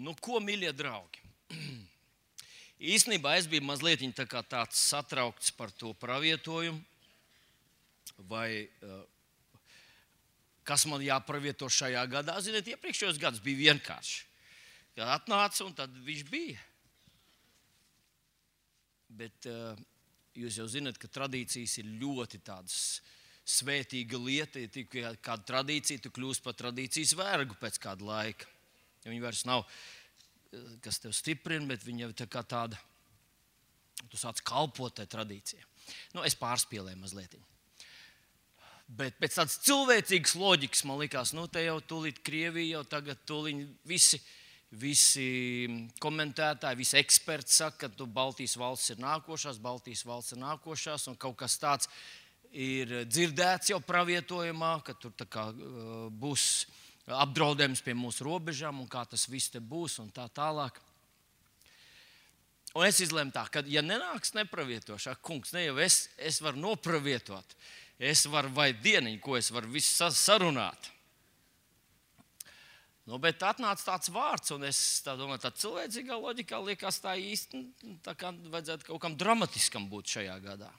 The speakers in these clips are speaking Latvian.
Nu, ko, mīļie draugi? Īstenībā es biju mazliet tāds satraukts par to pravietojumu, vai kas man jāpravieto šajā gadā. Ziniet, iepriekšējos gadus bija vienkārši. Kad atnāca un tad viņš bija. Bet jūs jau zināt, ka tradīcijas ir ļoti tādas svētīga lieta. Ja tikai kāda tradīcija, tu kļūsi par tradīcijas vergu pēc kāda laika. Ja viņi vairs nav, kas tev stiprina, bet viņi jau tā kā tāda, tu sāc kalpot tai tradīcijai. Nu, es pārspīlēju mazliet. Bet pēc tādas cilvēcīgas loģikas man likās, nu, te jau tūlīt Krievija, jau tagad tūlīt visi komentētāji, visi eksperti saka, ka Baltijas valsts ir nākošās, un kaut kas tāds ir dzirdēts jau pravietojumā, ka tur tā kā būs apdraudējums pie mūsu robežām, un kā tas viss te būs, un tā tālāk. Un es izlēmu tā, ka, ja nenāks nepravietošā, kungs, ne jau es varu nopravietot, es varu vai dieniņu, ko es varu visu sarunāt. Nu, bet atnāca tāds vārds, un es tā domāju, tā cilvēcīgā loģikā liekas tā īsti, tā kā vajadzētu kaut kam dramatiskam būt šajā gadā.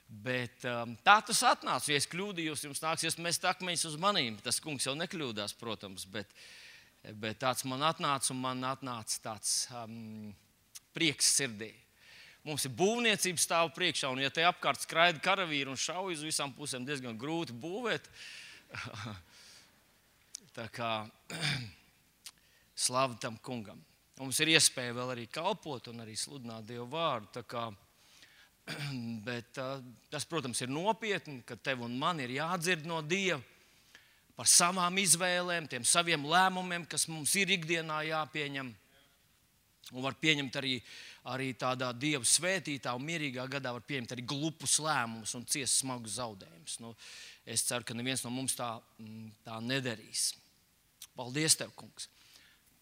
Bet tā tas atnāca, ja es kļūdījos, jums nāksies mest akmeņus uz manīm. Tas kungs jau nekļūdās, protams, bet tāds man atnāca, un man atnāca tāds prieks sirdī. Mums ir būvniecība stāv priekšā, un ja te apkārt skraida karavīri un šauj uz visām pusēm, diezgan grūti būvēt. Tā kā slavu tam kungam. Mums ir iespēja vēl arī kalpot un arī sludināt Dievu vārdu. Tā kā, bet tas, protams, ir nopietni, ka tev un man ir jādzird no Dieva par savām izvēlēm, tiem saviem lēmumiem, kas mums ir ikdienā jāpieņem. Un var pieņemt arī tādā Dieva svētītā un mierīgā gadā var pieņemt arī glupus lēmumus un ciest smagus zaudējumus. Nu, es ceru, ka neviens no mums tā nedarīs. Paldies tev, kungs!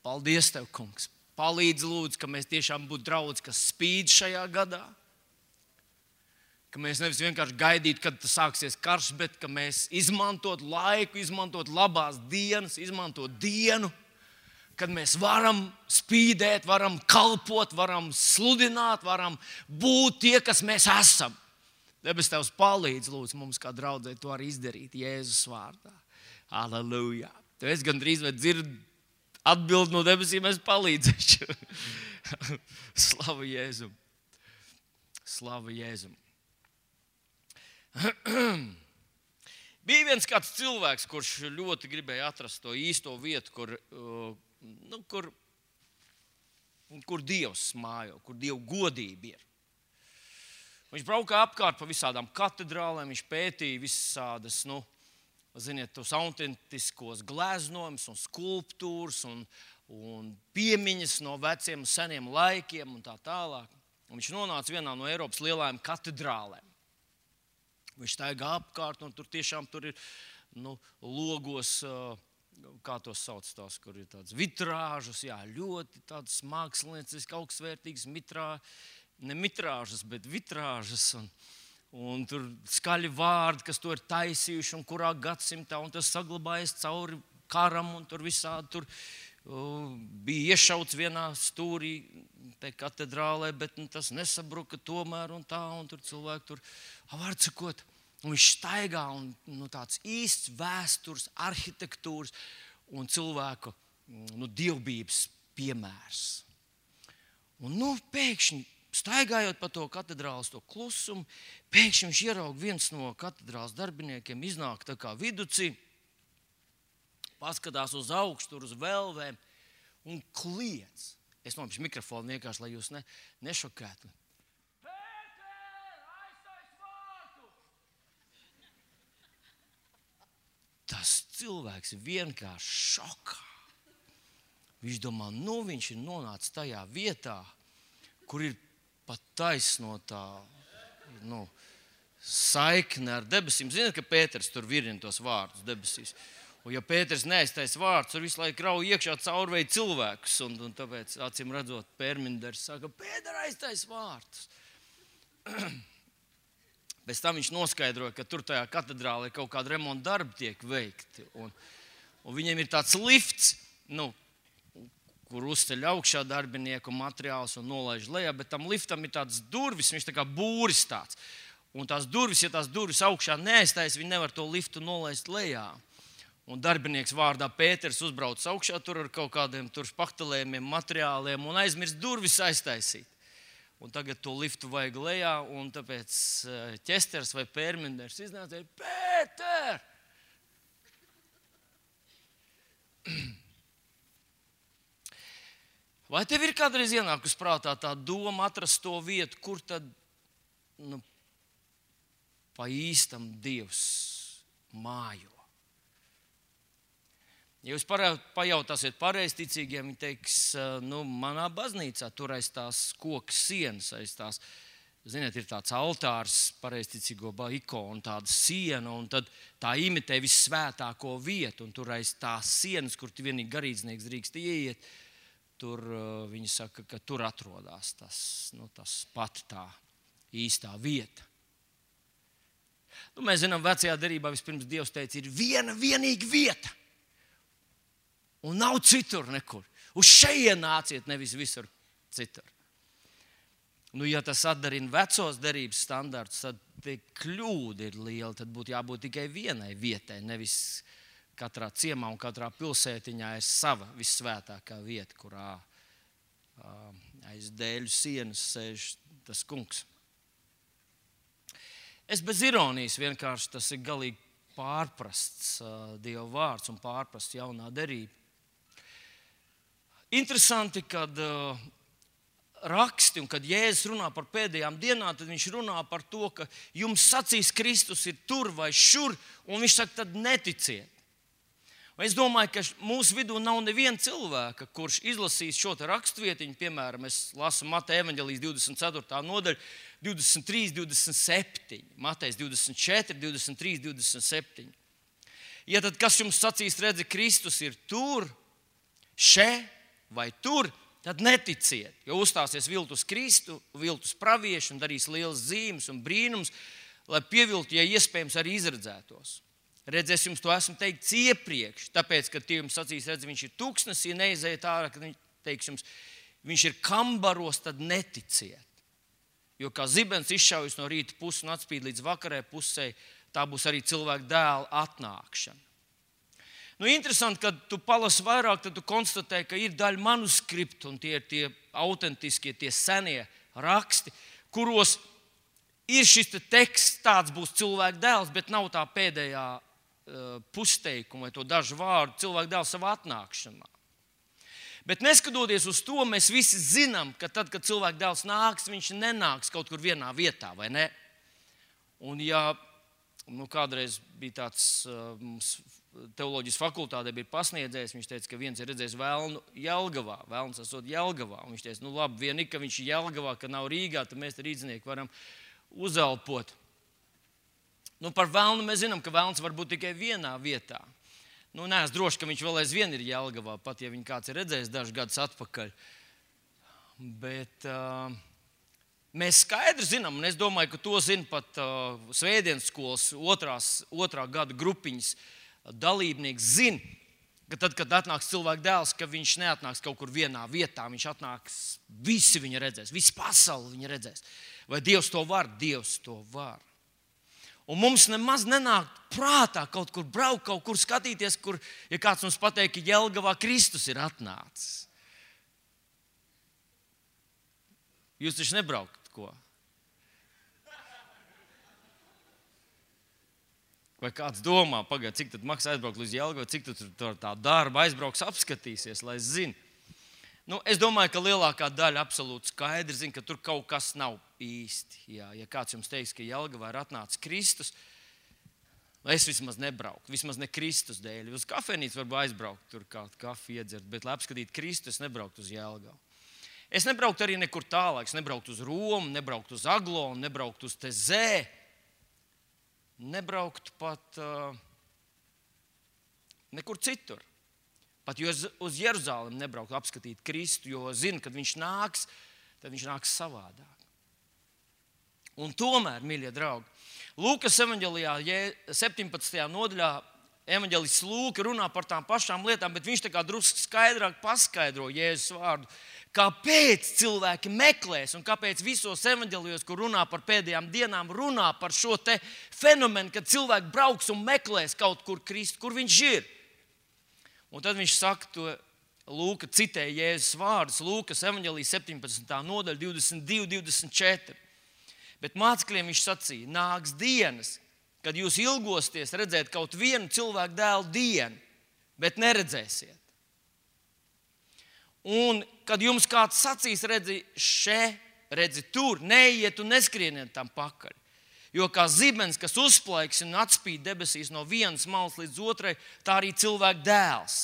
Paldies tev, kungs! Palīdz lūdzu, ka mēs tiešām būtu draudz, kas spīd šajā gadā. Ka mēs nevis vienkārši gaidītu, kad tas sāksies karš, bet ka mēs izmantot laiku, izmantot labās dienas, izmantot dienu, kad mēs varam spīdēt, varam kalpot, varam sludināt, varam būt tie, kas mēs esam. Debes tevs palīdz, lūdzu, mums kā draudzē to arī izdarīt Jēzus vārdā. Halleluja! Tev es gandrīz vai dzirdu atbildi no debesīm, es palīdzēšu. Slava Jēzum! Slava Jēzum! Bija viens kāds cilvēks, kurš ļoti gribēja atrast to īsto vietu, kur Dievs mājo, kur Dieva godība ir. Viņš braukā apkārt pa visādām katedrālēm, viņš pētīja visādas, tos autentiskos gleznojumus un skulptūras un piemiņas no veciem seniem laikiem un tā tālāk. Un viņš nonāca vienā no Eiropas lielajām katedrālēm. Viņš staigā apkārt, un tur ir logos, kā tos sauc tās, kur ir tādas vitrāžas, jā, ļoti tādas mākslinieciski augstsvērtīgas ne mitrāžas, bet vitrāžas, un tur skaļi vārdi, kas to ir taisījuši, un kurā gadsimtā, un tas saglabājies cauri karam, un tur visādi bija iešauts vienā stūrī te katedrālē, bet tas nesabruka tomēr, un tur cilvēki vārds sakot, un viņš staigā, un tāds īsts vēstures, arhitektūras un cilvēku dievbības piemērs. Un pēkšņi, staigājot pa to katedrāles to klusumu, pēkšņi viņš ieraug viens no katedrāles darbiniekiem, iznāk tā kā viducī, paskatās uz augšu, uz velvēm un kliedz. Es nopišu mikrofonu vienkārši, lai jūs nešokētu. Pēter, aiztais vārtu! Tas cilvēks vienkārši šokā. Viņš domā, viņš ir nonācis tajā vietā, kur ir pat taisnotā saikne ar debesīm. Ziniet, ka Pēters tur virina tos vārdus debesīs. Un ja Pēters neaiztais vārds, tur visu laiku rauj iekšā caurvēja cilvēkus. Un tāpēc, acīm redzot, Pērminders saka, Pēter aiztais vārds. Pēc tam viņš noskaidroja, ka tur tajā katedrālē kaut kāda remonta darbi tiek veikti. Un viņiem ir tāds lifts, kur uzceļ augšā darbinieku materiālus un nolaiž lejā, bet tam liftam ir tāds durvis, viņš tā kā būris tāds. Un tās durvis, ja tās durvis augšā neaiztais, viņi nevar to liftu nolaist lejā. Un darbinieks vārdā Pēters uzbrauc augšā tur ar kaut kādiem tur špaktelējumiem, materiāliem un aizmirst durvis aiztaisīt. Un tagad to liftu vajag lejā, un tāpēc ķesters vai pērmenders iznāca ir Pēter! Vai tev ir kādreiz ienākus prātā tā doma atrast to vietu, kur tad pa īstam Dievs mājo? Ja jūs pajautāsiet pareizticīgiem, viņi teiks, manā baznīcā tur aiz tās koka sienas, aiz tās, ziniet, ir tāds altārs, pareizticīgo ikonu, tāda siena, un tad tā imitē vissvētāko vietu, un tur aiz tās sienas, kur vienīgi garīdznieks drīkst ieiet, tur viņi saka, ka tur atrodas tas pat tā īstā vieta. Mēs zinām, vecajā derībā vispirms Dievs teica, ir viena vienīga vieta. Un nav citur nekur. Uz šejien nāciet, nevis visur citur. Ja tas atdarina vecos derības standartus, tad tie kļūda ir liela. Tad būtu jābūt tikai vienai vietai, nevis katrā ciemā un katrā pilsētiņā ir sava vissvētākā vieta, kurā aiz dēļu sienas sēž tas kungs. Es bez ironijas vienkārši tas ir galīgi pārprasts Dieva vārds un pārprasts jaunā derība. Interesanti, kad raksti un kad Jēzus runā par pēdējām dienām, tad viņš runā par to, ka jums sacīs Kristus ir tur vai šur, un viņš saka, tad neticiet. Es domāju, ka mūsu vidū nav neviena cilvēka, kurš izlasīs šo rakstvietiņu, piemēram, es lasu Mateja evaņģelijas 24. nodaļu, 23, 27, Matejs 24, 23, 27. Ja tad kas jums sacīs, redzi, Kristus ir tur, še vai tur, tad neticiet, jo uzstāsies viltus Kristu, viltus pravieši un darīs lielas zīmes un brīnums, lai pieviltu, ja iespējams, arī izredzētos. Redz, es jums to esmu teicis iepriekš, tāpēc, kad tie jums sacīs, redz, viņš ir tūkstnesī, neiziet ārā, kad viņš teiks jums, viņš ir kambaros, tad neticiet. Jo kā zibens izšaujas no rīta puses un atspīd līdz vakarai pusē, tā būs arī cilvēka dēla atnākšana. Interesanti, kad tu palasi vairāk, tad tu konstatē, ka ir daļa manuskriptu, un tie ir tie autentiskie, tie senie raksti, kuros ir šis teksts, tāds būs cilvēka dēls, bet nav tā pēdējā pusteikuma vai to dažu vārdu cilvēka dēls savā atnākšanā. Bet neskatoties uz to, mēs visi zinām, ka tad, kad cilvēka dēls nāks, viņš nenāks kaut kur vienā vietā, vai ne? Un ja kādreiz bija tāds teoloģijas fakultātē bija pasniedzējis, viņš teica, ka viens ir redzējis velnu Jelgavā, velns esot Jelgavā. Un viņš teica, labi, vienīgi, ka viņš ir Jelgavā, ka nav Rīgā, tad mēs rīdzinieki varam uzelpot. Par velnu mēs zinām, ka velns var būt tikai vienā vietā. Neesmu droši, ka viņš vēl aizvien ir Jelgavā, pat ja viņu kāds ir redzējis dažus gadus atpakaļ. Bet mēs skaidri zinām, un es domāju, ka to zina pat svētdienas skolas otrā gada grupiņas dalībnieks zina, ka tad, kad atnāks cilvēka dēls, ka viņš neatnāks kaut kur vienā vietā, viņš atnāks, visi viņa redzēs, visi pasauli viņa redzēs. Vai Dievs to var? Dievs to var. Un mums nemaz nenāk prātā kaut kur braukt, kaut kur skatīties, kur, ja kāds mums pateikt, ka Jelgavā Kristus ir atnācis. Jūs taču nebraukt, ko? Vai kāds domā, pagaid, cik tad maksā aizbraukt līdz Jelgavai, cik tur tā darba aizbrauks, apskatīsies, lai zini. Es domāju, ka lielākā daļa absolūti skaidri zina, ka tur kaut kas nav īsti. Ja kāds jums teiks, ka Jelgavā ir atnācis Kristus, es vismaz nebrauktu, vismaz ne Kristus dēļ. Uz kafejnīcu varbūt aizbraukt, tur kādu kafiju iedzert, bet lai apskatītu Kristu, es nebrauktu uz Jelgavu. Es nebrauktu arī nekur tālāk, es nebrauktu uz Romu, nebrauktu uz Aglonu, nebrauktu uz Tezē. Nebrauktu pat nekur citur. Pat uz Jeruzalemi nebrauktu apskatīt Kristu, jo zinu, kad viņš nāks, tad viņš nāks savādāk. Un tomēr, mīļie draugi, Lūkas evaņģelijā 17. nodaļā evaņģelists Lūka runā par tām pašām lietām, bet viņš tā kā drusku skaidrāk paskaidro Jēzus vārdu. Kāpēc cilvēki meklēs un kāpēc visos evaņģēlijos, kur runā par pēdējām dienām, runā par šo te fenomenu, kad cilvēki brauks un meklēs kaut kur Kristu, kur viņš ir. Un tad viņš saka to, Lūka citē Jēzus vārdus, Lūkas evaņģēlijas 17. nodaļa 22, 24. Bet mācekļiem viņš sacīja, nāks dienas, kad jūs ilgosties redzēt kaut vienu cilvēku dēlu dienu, bet neredzēsiet. Un, kad jums kāds sacīs, redzi še, redzi tur, neiet un neskrieniet tam pakaļ. Jo kā zibens, kas uzplaiks un atspīd debesīs no vienas malas līdz otrai, tā arī cilvēka dēls.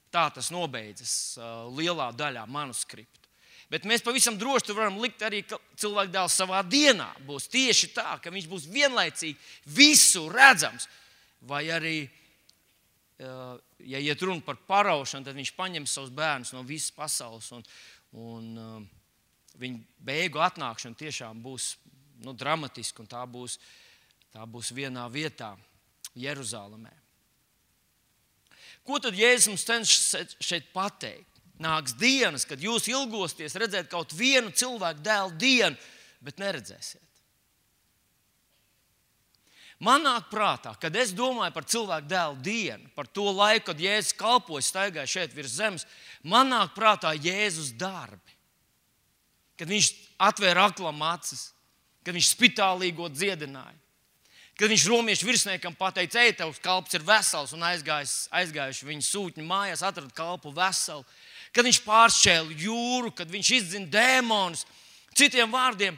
Tā tas nobeidzas lielā daļā manuskriptu. Bet mēs pavisam droši varam likt arī, ka cilvēka dēls savā dienā būs tieši tā, ka viņš būs vienlaicīgi visu redzams. Vai arī, ja iet runa par paraušanu, tad viņš paņems savus bērnus no visas pasaules un viņa beigu atnākšana tiešām būs dramatiska un tā būs vienā vietā Jeruzalemē. Ko tad Jēzus mums cenšas šeit pateikt? Nāks dienas, kad jūs ilgosties redzēt kaut vienu cilvēku dēlu dienu, bet neredzēsiet. Man nāk prātā, kad es domāju par cilvēku dēlu dienu, par to laiku, kad Jēzus kalpoja, staigāja šeit virs zemes, man nāk prātā Jēzus darbi. Kad viņš atvēra aklam acis, kad viņš spitālīgo dziedināja, kad viņš romiešu virsniekam pateica, ej, tavs kalps ir vesels, un aizgājuši viņa sūtņu mājās, atrada kalpu veselu, kad viņš pāršķēla jūru, kad viņš izdzina dēmonus, citiem vārdiem,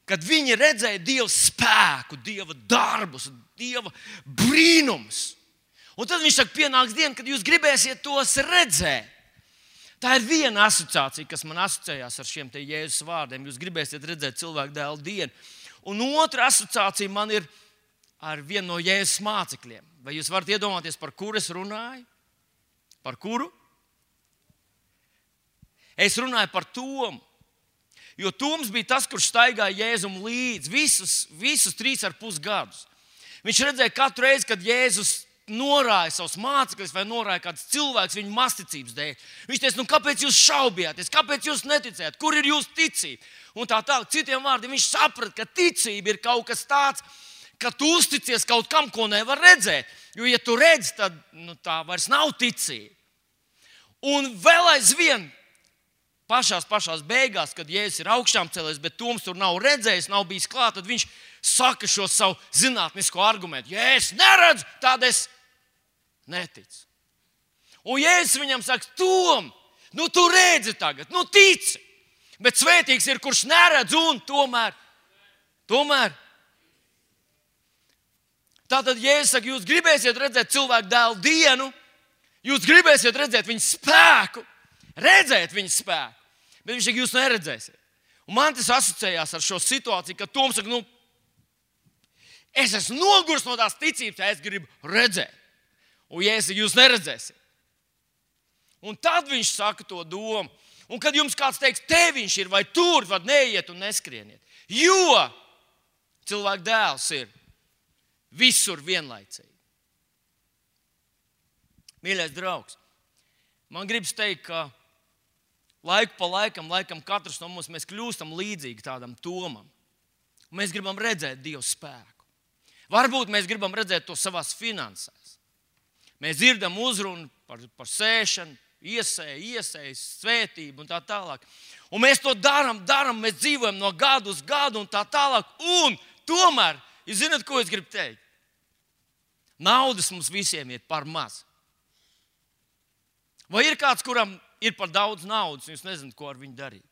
kad viņi redzēja Dieva spēku, Dieva darbus, Dieva brīnumus. Un tad viņš saka, pienāks diena, kad jūs gribēsiet tos redzēt. Tā ir viena asociācija, kas man asociējās ar šiem te Jēzus vārdiem. Jūs gribēsiet redzēt cilvēku dēlu dienu. Un otra asociācija man ir ar vienu no Jēzus mācekļiem. Vai jūs varat iedomāties, par kuru es runāju? Par kuru? Es runāju par Tomu. Jo Toms bija tas, kurš staigāja Jēzum līdzi visus 3,5 gadus. Viņš redzēja katru reizi, kad Jēzus norāja savus mācekļus vai norāja kāds cilvēks viņu masticības dēļ. Viņš teica, kāpēc jūs šaubījāties, kāpēc jūs neticējāt, kur ir jūsu ticība? Un tā tālāk, citiem vārdiem, viņš saprata, ka ticība ir kaut kas tāds, ka tu uzticies kaut kam, ko nevar redzēt. Jo, ja tu redzi, tad tā vairs nav ticība. Un vēl aizvien, pašās beigās, kad Jēzus ir augšām cēlies, bet Toms tur nav redzējis, nav bijis klāt, tad viņš saka šo savu zinātnisko argumentu. Ja es neredzu, tad es neticu. Un Jēzus viņam saka, Tom, tu redzi tagad, tici. Bet svētīgs ir, kurš neredz un tomēr. Tātad Jēzus saka, jūs gribēsiet redzēt cilvēku dēlu dienu, jūs gribēsiet redzēt viņa spēku, redzēt viņa spēku. Bet viņš saka, jūs neredzēsiet. Un man tas asociējās ar šo situāciju, kad Toms saka, es esmu nogurs no tās ticības, ja es gribu redzēt. Un Jēzus saka, jūs neredzēsiet. Un tad viņš saka to domu. Un kad jums kāds teiks, te viņš ir vai tur, tad neiet un neskrieniet. Jo cilvēka dēls ir visur vienlaicīgi. Mīļais draugs, man gribas teikt, ka laiku pa laikam katrs no mums mēs kļūstam līdzīgi tādam Tomam. Mēs gribam redzēt Dieva spēku. Varbūt mēs gribam redzēt to savās finansēs. Mēs dzirdam uzrunu par sēšanu, iesēju, svētību un tā tālāk. Un mēs to darām, mēs dzīvojam no gada uz gadu un tā tālāk. Un tomēr, jūs zināt, ko es gribu teikt? Naudas mums visiem ir par maz. Vai ir kāds, kuram ir par daudz naudas, un jūs nezināt, ko ar viņu darīt?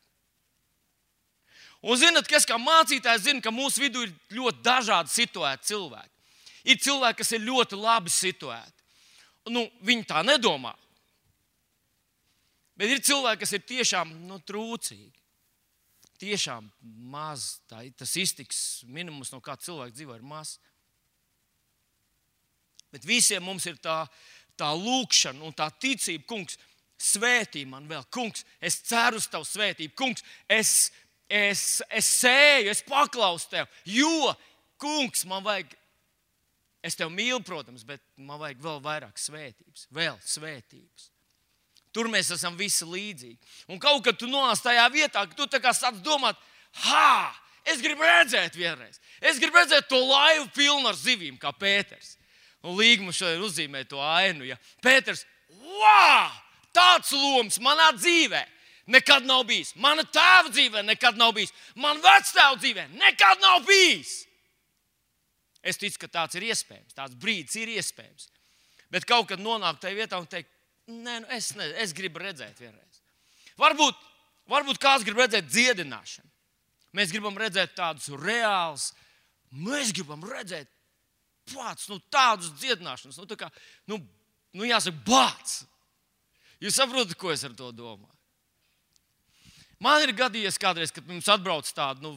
Un zināt, kas kā mācītājs zina, ka mūsu vidū ir ļoti dažādi situēti cilvēki. Ir cilvēki, kas ir ļoti labi situēti. Viņi tā nedomā. Bet ir cilvēki, kas ir tiešām trūcīgi. Tiešām maz. Tas iztiks minimums, no kā cilvēks dzīvo, ir maz. Bet visiem mums ir tā lūkšana un tā ticība, kungs, svētī man vēl, kungs, es ceru uz tavu svētību, kungs, es sēju, es paklausu tev, jo, kungs, man vajag, Es tev mīlu, protams, bet man vajag vēl vairāk svētības. Vēl svētības. Tur mēs esam visi līdzīgi. Un kaut kad tu nonāc tajā vietā, ka tu tā kā sāc domāt, es gribu redzēt vienreiz. Es gribu redzēt to laivu pilnu ar zivīm, kā Pēters. Un Līga mums šodien uzzīmē to ainu. Ja? Pēters, tāds loms manā dzīvē nekad nav bijis. Mana tēva dzīvē nekad nav bijis. Man vectēva dzīvē nekad nav bijis. Es ticu, ka tāds ir iespējams. Tāds brīdis ir iespējams. Bet kaut kad nonāk tajā vietā un teikt, es gribu redzēt vienreiz. Varbūt kāds grib redzēt dziedināšanu. Mēs gribam redzēt tādus reālus. Mēs gribam redzēt tādus dziedināšanas. Jāsaka, bāc. Jūs saprotat, ko es ar to domāju? Man ir gadījies kādreiz, kad mums atbrauc tādu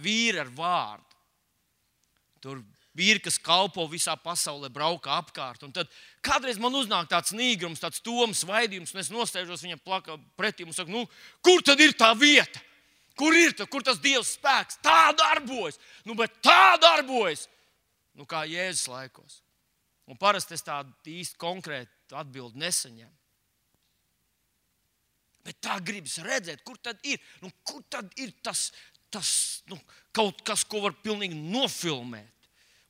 vīri ar vārdu. Tur vīri, kas kalpo visā pasaulē, brauka apkārt. Un tad kādreiz man uznāk tāds nīgrums, tāds tomas vaidījums, un es nostēžos viņam pretī un saku, kur tad ir tā vieta? Kur ir kur tas Dievs spēks? Tā darbojas. Bet tā darbojas. Kā Jēzus laikos. Un parasti es tādu īsti konkrētu atbildi nesaņemu. Bet tā gribas redzēt, kur tad ir. Kur tad ir tas kaut kas, ko var pilnīgi nofilmēt.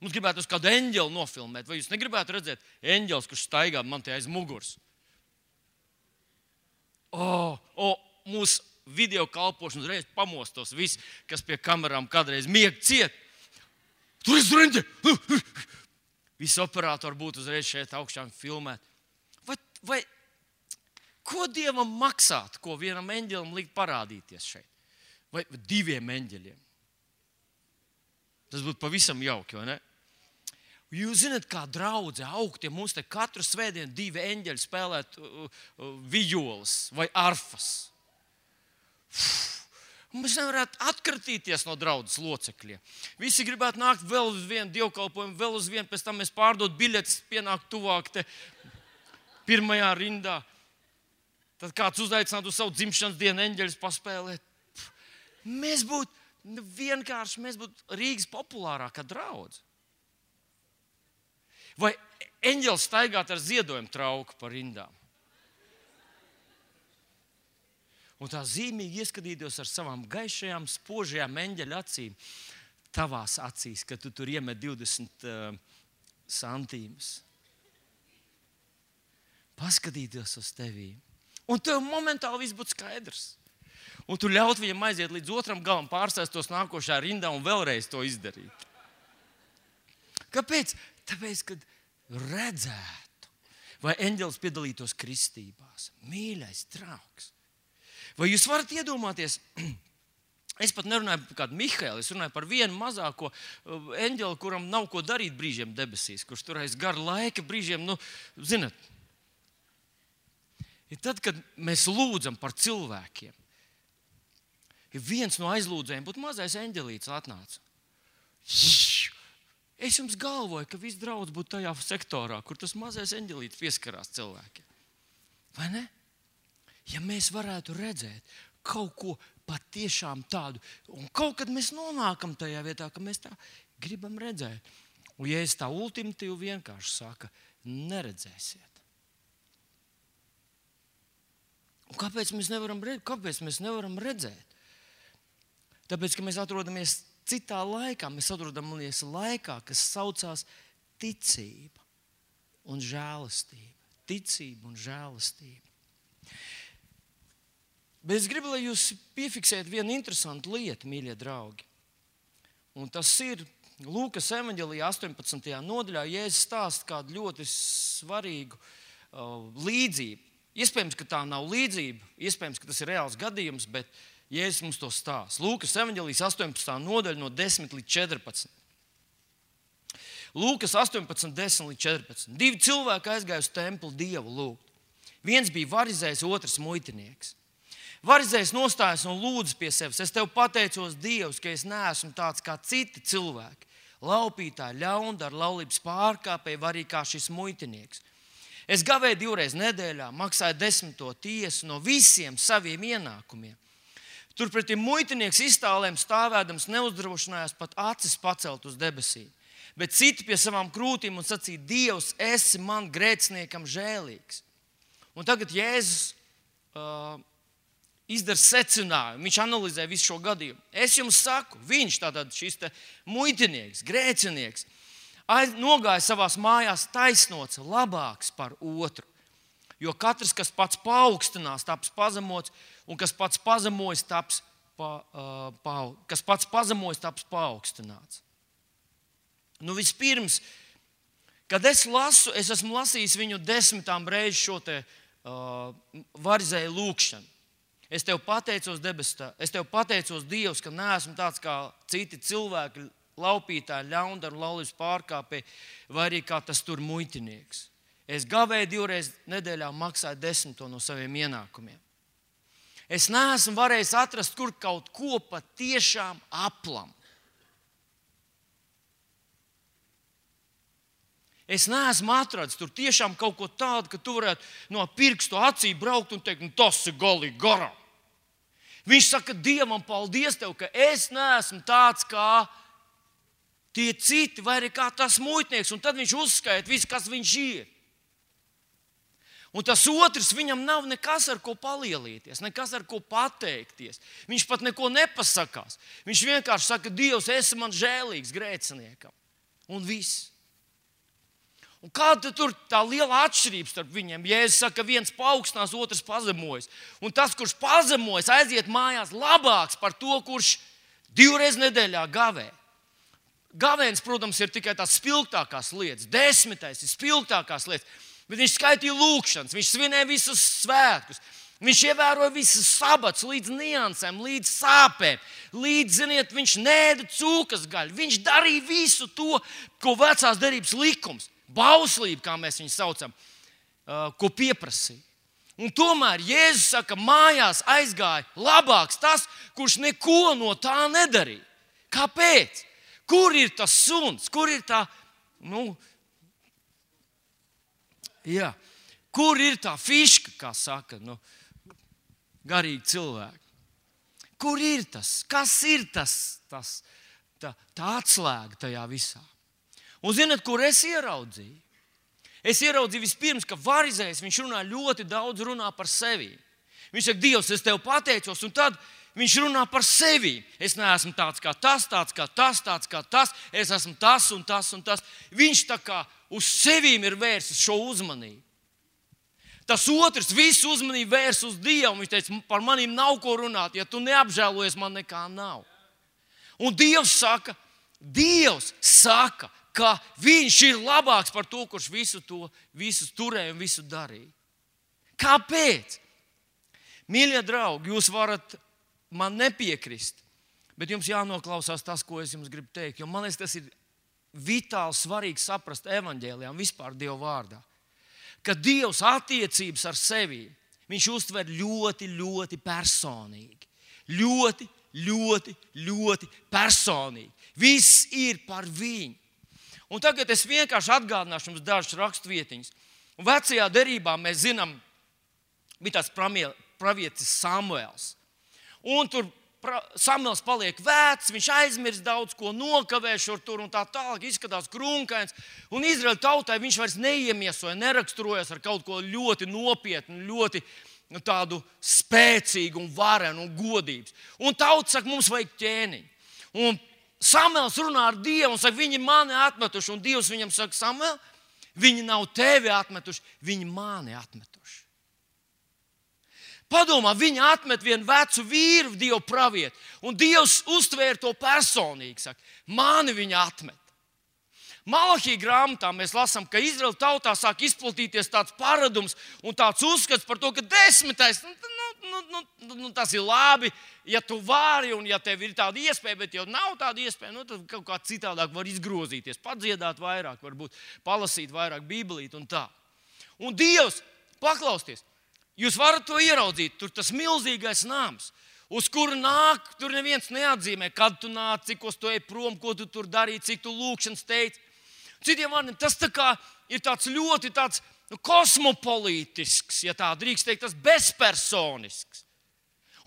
Mums gribētu uz kādu eņģeli nofilmēt. Vai jūs negribētu redzēt eņģelis, kurš staigā man te aiz muguras? Mūsu video kalpošanu uzreiz pamostos visi, kas pie kamerām kādreiz mieg ciet. Tur ir reņģe! Visi operatori būtu uzreiz šeit augšā un filmēt. Vai ko Dievam maksāt, ko vienam eņģelim likt parādīties šeit? Vai 2 eņģeļiem? Tas būtu pavisam jauki, vai ne? Jūs zināt, kā draudze augt, ja mums te katru svētdienu 2 eņģeļi spēlēt vijoles vai arfas. Mēs nevarētu atkratīties no draudzes locekļiem. Visi gribētu nākt vēl uz vienu dievkalpojumu, vēl uz vienu, pēc tam mēs pārdot biļetes, pienākt tuvāk te pirmajā rindā. Tad kāds uzaicinātu uz savu dzimšanas dienu eņģeļus paspēlēt. Mēs būtu Rīgas populārākā draudze. Vai eņģelis staigāt ar ziedojumu trauku pa rindām? Un tā zīmīgi ieskatītos ar savām gaišajām, spožajām eņģeļa acīm tavās acīs, kad tu tur iemet 20 santīmus. Paskatīties uz tevī. Un tev momentāli viss būtu skaidrs. Un tu ļaut viņam aiziet līdz otram galam, pārsēstos nākošā rindā un vēlreiz to izdarīt. Kāpēc? Tāpēc, kad redzētu, vai eņģelis piedalītos kristībās. Mīļais draugs. Vai jūs varat iedomāties, es pat nerunāju par kādu Mihēlu, es runāju par vienu mazāko eņģeli, kuram nav ko darīt brīžiem debesīs, kurš tur aiz gara laika brīžiem, zināt. Ir tad, kad mēs lūdzam par cilvēkiem, ja viens no aizlūdzējiem būtu mazais eņģelīts atnāca. Es jums galvoju, ka viss draudz būtu tajā sektorā, kur tas mazais eņģelīts pieskarās cilvēkiem. Vai ne? Ja mēs varētu redzēt kaut ko patiešām tādu, un kaut kad mēs nonākam tajā vietā, ka mēs tā gribam redzēt. Un ja es tā ultimatīvi vienkārši saka, neredzēsiet. Un kāpēc mēs nevaram redzēt? Tāpēc, ka mēs atrodamies citā laikā, mēs atrodamies laikā, kas saucās ticība un žēlastība. Ticība un žēlastība. Bet es gribu, lai jūs piefiksējat vienu interesantu lietu, mīļie draugi. Un tas ir Lūkas evaņģelijā 18. nodaļā, Jēzus stāsta kādu ļoti svarīgu līdzību. Iespējams, ka tā nav līdzība, iespējams, ka tas ir reāls gadījums, bet Jēzus mums to stāsta. Lūkas evaņģelijas 18. nodaļa no 10 līdz 14. Lūkas 18, 10 līdz 14. 2 cilvēki aizgāja uz templi Dievu lūgt. Viens bija varizējs, otrs muitinieks. Varizējs nostājas un lūdz pie sevis. Es tev pateicos, Dievs, ka es neesmu tāds kā citi cilvēki. Laupītāji, ļaundari, laulības pārkāpēji, var arī kā šis muitinieks. Es gavēju 2 reizes nedēļā, maksāju 10. tiesu no visiem saviem ienākumiem. Turpretī muitinieks iztālēm stāvēdams neuzdrošinājās pat acis pacelt uz debesīm, bet citi pie savām krūtīm un sacīja: Dievs, esi man grēciniekam žēlīgs. Un tagad Jēzus izdara secinājumu, viņš analizē visu šo gadījumu. Es jums saku, viņš, tātad šis muitinieks, grēcinieks, nogāja savās mājās taisnots, labāks par otru. Jo katrs, kas pats paaugstinās, taps pazemots, un kas pats pazemojas, taps paaugstināts. Nu, vispirms, kad es lasu, es esmu lasījis viņu 10 reizi šo varizēju lūkšanu. Es tev pateicos, es tev pateicos, Dievs, ka neesmu tāds kā citi cilvēki, laupītāji, ļaundari, laulības pārkāpēji, vai arī kā tas tur muitinieks. Es gavēju 2 reizes nedēļā, maksāju 10 no saviem ienākumiem. Es neesmu varējis atrast kur kaut ko patiešām aplam. Es neesmu atradzis tur tiešām kaut ko tādu, ka tu varētu no pirkstu acī braukt un teikt: tas ir galīgi garām. Viņš saka: Dievam, paldies tev, ka es neesmu tāds kā tie citi, vai arī kā tas muitnieks. Un tad viņš uzskaita visu, kas viņš ir. Un tas otrs, viņam nav nekas, ar ko palielīties, nekas, ar ko pateikties. Viņš pat neko nepasakās. Viņš vienkārši saka: Dievs, esi man žēlīgs grēciniekam. Un viss. Un kāda tur tā liela atšķirība starp viņiem? Jēzus saka, ka viens paaugstinās, otrs pazemojas. Un tas, kurš pazemojas, aiziet mājās labāks par to, kurš 2 reizes nedēļā gavē. Gavēns, protams, ir tikai tās spilgtākās lietas. 10. ir spilgtākās lietas. Bet viņš skaitīja lūkšanas, viņš svinēja visus svētkus. Viņš ievēroja visas sabats līdz niansēm, līdz sāpēm. Līdz, ziniet, viņš nēda cūkas gaļu. Viņš darīja visu to, ko vecās derības likums, bauslība, kā mēs viņu saucam, ko pieprasīja. Un tomēr Jēzus saka, mājās aizgāja labāks tas, kurš neko no tā nedarīja. Kāpēc? Kur ir tas suns? Kur ir tā, kur ir tā fiška, kā saka, garīgi cilvēki? Kur ir tas? Kas ir tā atslēga tajā visā? Un zināt, kur es ieraudzīju? Es ieraudzīju vispirms, ka varizējs, viņš runā ļoti daudz par sevi. Viņš saka, Dievs, es tev pateicos, un tad viņš runā par sevi. Es neesmu tāds kā tas, tāds kā tas, es esmu tas un tas un tas. Viņš tā kā uz sevīm ir vērsis šo uzmanību. Tas otrs visu uzmanību vērs uz Dievu. Viņš teica, par manīm nav ko runāt, ja tu neapžēlojies, man nekā nav. Un Dievs saka, ka viņš ir labāks par to, kurš visu turēja un visu darīja. Kāpēc? Mīļie draugi, jūs varat man nepiekrist, bet jums jānoklausās tas, ko es jums gribu teikt. Jo man liekas, tas ir vitāli svarīgi saprast evaņģēlijā un vispār Dieva vārdā. Ka Dievs attiecības ar sevi, viņš uztver ļoti, ļoti personīgi. Ļoti, ļoti, ļoti personīgi. Viss ir par viņu. Un tagad es vienkārši atgādināšu jums dažas rakstvietiņas. Un vecajā derībā mēs zinām, bija tāds pravietis Samuels. Un tur Samuels paliek vecs, viņš aizmirst daudz ko, nokavē šur tur un tā tālāk, izskatās krunkains. Un Izraēļa tautai viņš vairs neiemiesoja, neraksturojas ar kaut ko ļoti nopietnu, ļoti tādu spēcīgu un varenu un godības. Un tauta saka, mums vajag ķēniņu. Un Samuels runā ar Dievu un saka, viņi mani atmetuši. Un Dievs viņam saka, Samuel, viņi nav tevi atmetuši, viņi mani atmetuši. Padomā, viņi atmet vienu vecu vīru, Dievu pravietu. Un Dievs uztvēra to personīgi. Saka, mani viņi atmet. Malahija grāmatā mēs lasām, ka Izraēla tautā sāk izplatīties tāds paradums un tāds uzskats par to, ka 10. Tas ir labi, ja tu vari un ja tev ir tāda iespēja, bet ja nav tāda iespēja, tad kaut kā citādāk var izgrozīties, padziedāt vairāk, varbūt palasīt vairāk bībelīt un tā. Un Dievs, paklausties, jūs varat to ieraudzīt, tur tas milzīgais nams, uz kuru nāk, tur neviens neatzīmē, kad tu nāc, cikos tu ej prom, ko tu tur darīji, cik tu lūkšanas teici. Citiem vārdiem, tas tā kā ir tāds ļoti kosmopolītisks, ja tā drīkst teikt, tas bezpersonisks.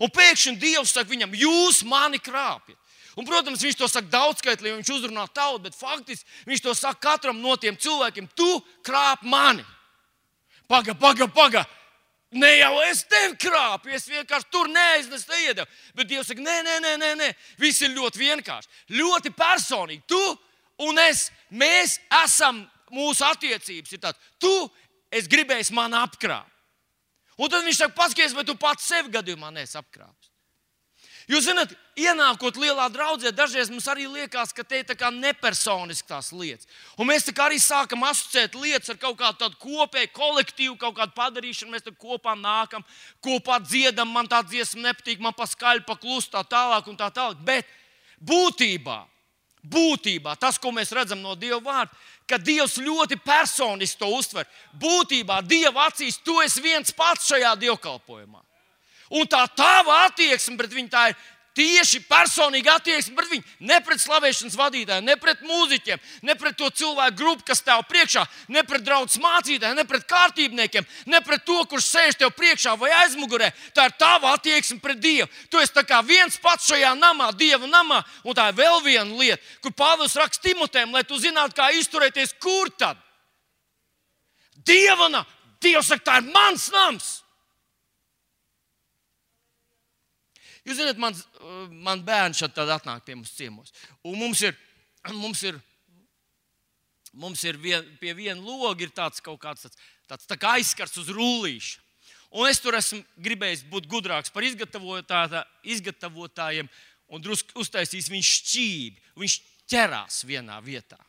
Un pēkšņi Dievs saka viņam, jūs mani krāpjat. Un, protams, viņš to saka daudzskaitlī, viņš uzrunā tautu, bet faktiski viņš to saka katram no tiem cilvēkiem. Tu krāp mani. Paga. Ne jau es tevi krāpu, es vienkārši tur neaiznesu, neiedevu. Bet Dievs saka, nē. Viss ir ļoti vienkārši. Ļoti personīgi. Tu un es, mēs esam, mūsu attiecības ir tāds. Tu, es gribēju mani apkrāpt. Un tad viņš saka, paskaties, vai tu pats sevi gadījumā neesi apkrāpis. Jūs zināt, ienākot lielā draudzē, dažreiz mums arī liekas, ka te ir tā kā nepersoniski tās lietas. Un mēs tā kā arī sākam asociēt lietas ar kaut kādu tādu kopēju kolektīvu, kaut kādu padarīšanu. Mēs tā kopā nākam, kopā dziedam, man tā dziesma nepatīk, man pa skaļi, pa klusu, tā tālāk un tā tālāk. Bet būtībā tas, ko mēs redzam no Dieva vārda, ka Dievs ļoti personiski to uztver. Būtībā Dieva acīs tu esi viens pats šajā dievkalpojumā. Un tā tava attieksme pret viņu, tā ir tieši personīga attieksme pret viņu. Ne pret slavēšanas vadītājiem, ne pret mūziķiem, ne pret to cilvēku grupu, kas tev priekšā, ne pret draudzes mācītājiem, ne pret kārtībniekiem, ne pret to, kurš sēž tev priekšā vai aizmugurē. Tā ir tava attieksme pret Dievu. Tu esi tā kā viens pats šajā namā, Dieva namā. Un tā ir vēl viena lieta, kur Pāvils raksta Timotejam, lai tu zinātu, kā izturēties, kur tad? Dieva namā. Dievs saka, tā ir mans nams. Jūs zināt, man bērns šad tad atnāk pie mums ciemos. Un mums ir pie viena loga ir tāds kaut kāds tāds tā kā aizskars uz rullīša. Un es tur esmu gribējis būt gudrāks par izgatavotājiem un drusku uztaisīs viņš šķībi. Viņš ķerās vienā vietā.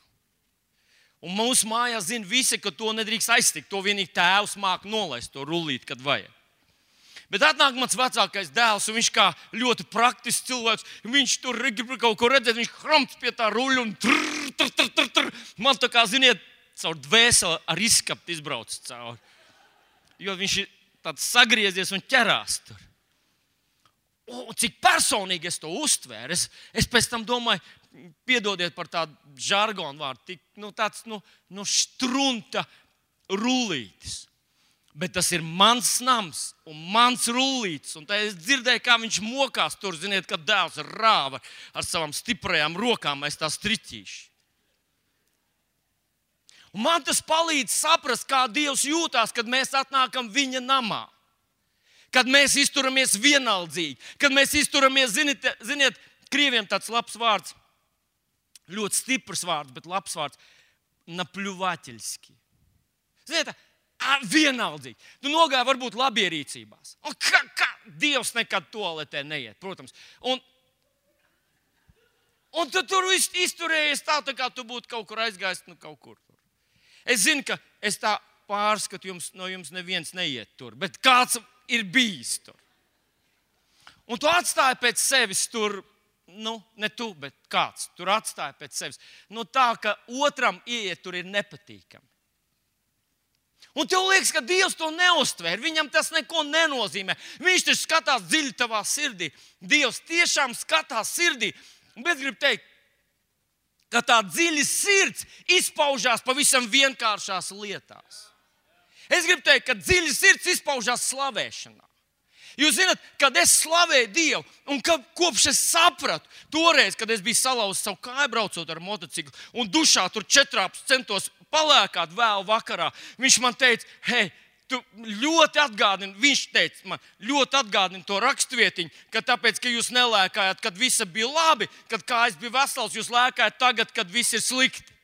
Un mūsu mājās zina visi, ka to nedrīkst aiztikt. To vienīgi tēvs māk nolaist to rullīt, kad vajag. Bet atnāk mans vecākais dēls, un viņš kā ļoti praktisks cilvēks, viņš tur grib kaut ko redzēt, viņš hramts pie tā ruļa un trrr. Man tā kā, ziniet, caur dvēseli ar izskapti izbrauc cauri. Jo viņš ir tāds sagriezies un ķerās tur. Un cik personīgi es to uztvēru, es pēc tam domāju, piedodiet par tādu žargonu vārdu, tāds štrunta rullītis. Bet tas ir mans nams un mans rullītis. Un tā es dzirdēju, kā viņš mokās tur, ziniet, kad dēls rāva ar savām stiprajām rokām aiz tā striķīša. Un man tas palīdz saprast, kā Dievs jūtās, kad mēs atnākam viņa namā. Kad mēs izturamies vienaldzīgi. Kad mēs izturamies, ziniet, krieviem tāds labs vārds, ļoti stiprs vārds, bet labs vārds, napļuvaļski. Ziniet, vienaldzīgi. Tu nogāji varbūt labierīcībās. Un kā Dievs nekad toaletē neiet, protams. Un tu tur izturējies tā kā tu būtu kaut kur aizgājis, kaut kur tur. Es zinu, ka es tā pārskatu, no jums neviens neiet tur, bet kāds ir bijis tur. Un tu atstāji pēc sevis tur, ne tu, bet kāds tur atstāja pēc sevis. Tā, ka otram ieiet tur ir nepatīkami. Un tev liekas, ka Dievs to neuztver, viņam tas neko nenozīmē. Viņš taču skatās dziļi tavā sirdī. Dievs tiešām skatās sirdī. Bet gribu teikt, ka tā dziļa sirds izpaužās pavisam vienkāršās lietās. Es gribu teikt, ka dziļa sirds izpaužās slavēšanā. Jūs zināt, kad es slavēju Dievu, un kopš es sapratu, toreiz, kad es biju salauzis savu kāju braucot ar motociklu, un dušā tur 4 centos palēkāt vēl vakarā, viņš man teica, hei, tu ļoti atgādini, viņš teica man, ļoti atgādini to rakstvietiņu, ka tāpēc, ka jūs nelēkājāt, kad viss bija labi, kad kājas bija vesels, jūs lēkājat tagad, kad viss ir slikti.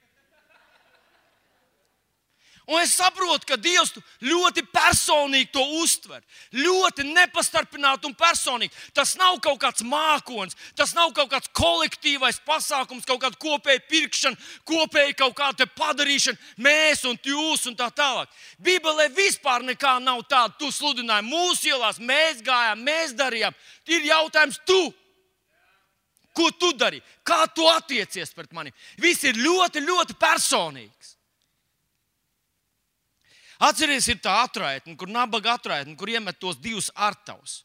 Un es saprotu, ka Dievs ļoti personīgi to uztver. Ļoti nepastarpināti un personīgi. Tas nav kaut kāds mākonis, tas nav kaut kāds kolektīvais pasākums, kaut kāda kopēja pirkšana, kopēja kaut kāda padarīšana, mēs un jūs un tā tālāk. Bībelē vispār nekā nav tāda. Tu sludināji mūsu ielās, mēs gājām, mēs darījām. Ir jautājums tu. Ko tu dari? Kā tu attiecies pret mani? Viss ir ļoti, ļoti personīgs. Atceries, ir tā atraitne, kur nabaga atraitne, kur iemet tos 2 artavus.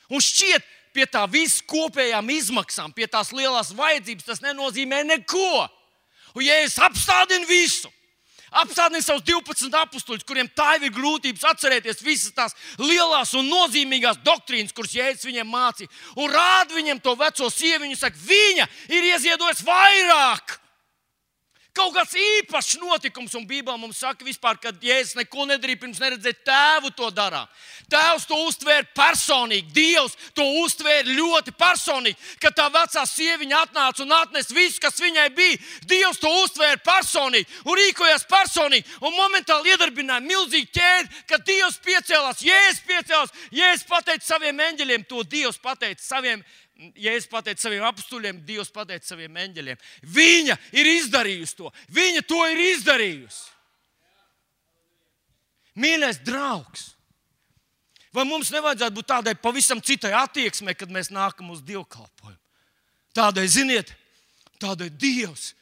Un šķiet, pie tā visu kopējām izmaksām, pie tās lielās vajadzības, tas nenozīmē neko. Un ja es apstādinu visu, Apstādini savus 12 apustuļus, kuriem tā ir grūtības atcerēties visas tās lielās un nozīmīgās doktrīnas, kuras Jēzus viņiem mācīja. Un rāda viņiem to veco sievu. Viņa saka, viņa ir ieziedojusi vairāk. Kaut kāds īpašs notikums, un Bībelē mums saka, vispār, ka Jēzus neko nedarīja, pirms neredzēja tēvu to darām. Tēvs to uztvēra personīgi, Dievs to uztvēra ļoti personīgi. Kad tā vecā sieviņa atnāca un atnesa visu, kas viņai bija, Dievs to uztvēra personīgi un rīkojās personīgi. Un momentāli iedarbināja milzīgi ķēdi, kad Dievs piecēlās, Jēzus pateica saviem eņģeļiem, to Dievs pateica saviem Jēzus pateica saviem apustuļiem, Dievs pateica saviem eņģeļiem. Viņa ir izdarījusi to. Viņa to ir izdarījusi. Mīļais draugs, vai mums nevajadzētu būt tādai pavisam citai attieksmei, kad mēs nākam uz dievkalpojumu? Tādai, ziniet, tādai Dievs,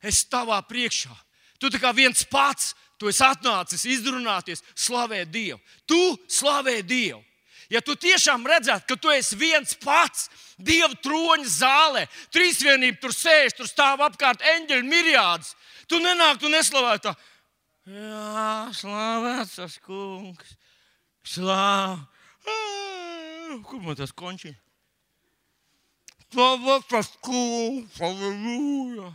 es tavā priekšā. Tu tā kā viens pats, tu esi atnācis izrunāties, slavē Dievu. Tu slavē Dievu. Ja tu tiešām redzētu, ka tu esi viens pats Dieva troņa zālē, trīsvienība tur sēž, tur stāv apkārt eņģeļu miriādes, tu nenāktu un neslavētu tā. Jā, slavēts tas kungs, Kur man tas končiņ? Slavēts tas kungs, halleluja.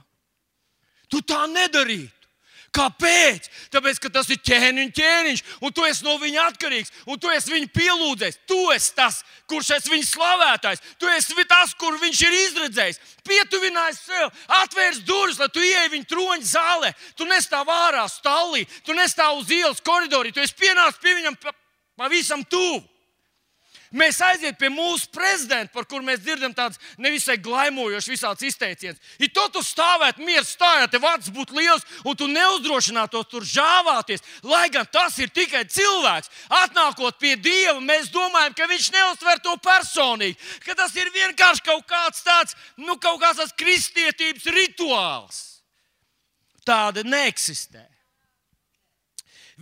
Tu tā nedarītu. Kāpēc? Tāpēc, ka tas ir ķēniņš, un tu esi no viņa atkarīgs, un tu esi viņa pielūdzējs. Tu esi tas, kurš esi viņa slavētājs. Tu esi tas, kur viņš ir izredzējis. Pietuvinājis sev, atvērs durvis, lai tu ieej viņa troņa zālē. Tu nestāv ārā stallī, tu nestāv uz ielas koridorī, tu esi pienācis pie viņam pavisam tuvu. Mēs aiziet pie mūsu prezidenta, par kuru mēs dzirdam tādas nevisai glaimojošas visādas izteicienas. Ja tu stāvētu mieru stājā, tev acis būtu liels, un tu neuzdrošinātos tur žāvāties, lai gan tas ir tikai cilvēks. Atnākot pie Dieva, mēs domājam, ka viņš neuztver to personīgi, ka tas ir vienkārši kaut kāds tāds, kaut kāds tāds kristietības rituāls. Tāda neeksistē.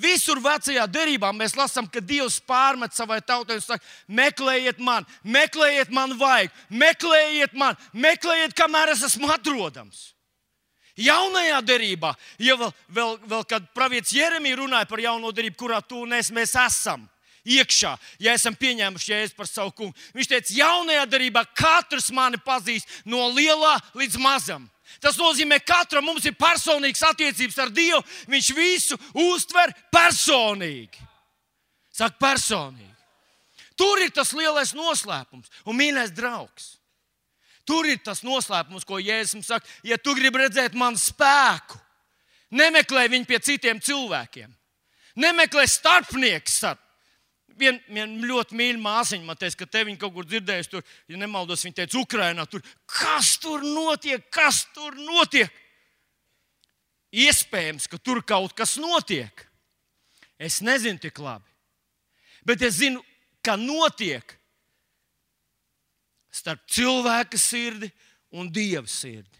Visur vecajā derībā mēs lasām, ka Dievs pārmet savai tautai un saka, meklējiet man vajag, meklējiet, kamēr es esmu atrodams. Jaunajā derībā, ja vēl kad pravietis Jeremija runāja par jauno derību, kurā tu un mēs esam iekšā, ja esam pieņēmuši Jēzu par savu kungu, viņš teica, jaunajā derībā katrs mani pazīst no lielā līdz mazam. Tas nozīmē, ka katram mums ir personīgas attiecības ar Dievu. Viņš visu uztver personīgi. Saka, personīgi. Tur ir tas lielais noslēpums. Un, mīļais draugs, tur ir tas noslēpums, ko Jēzus mums saka. Ja tu gribi redzēt manu spēku, nemeklē viņu pie citiem cilvēkiem. Nemeklē starpnieks starp. Viena ļoti mīļa māsiņa man teica, ka te viņa kaut kur dzirdējusi, tur, ja nemaldos, viņa teica, Ukrainā, tur, kas tur notiek? Iespējams, ka tur kaut kas notiek. Es nezinu tik labi, bet es zinu, ka notiek starp cilvēka sirdi un Dieva sirdi.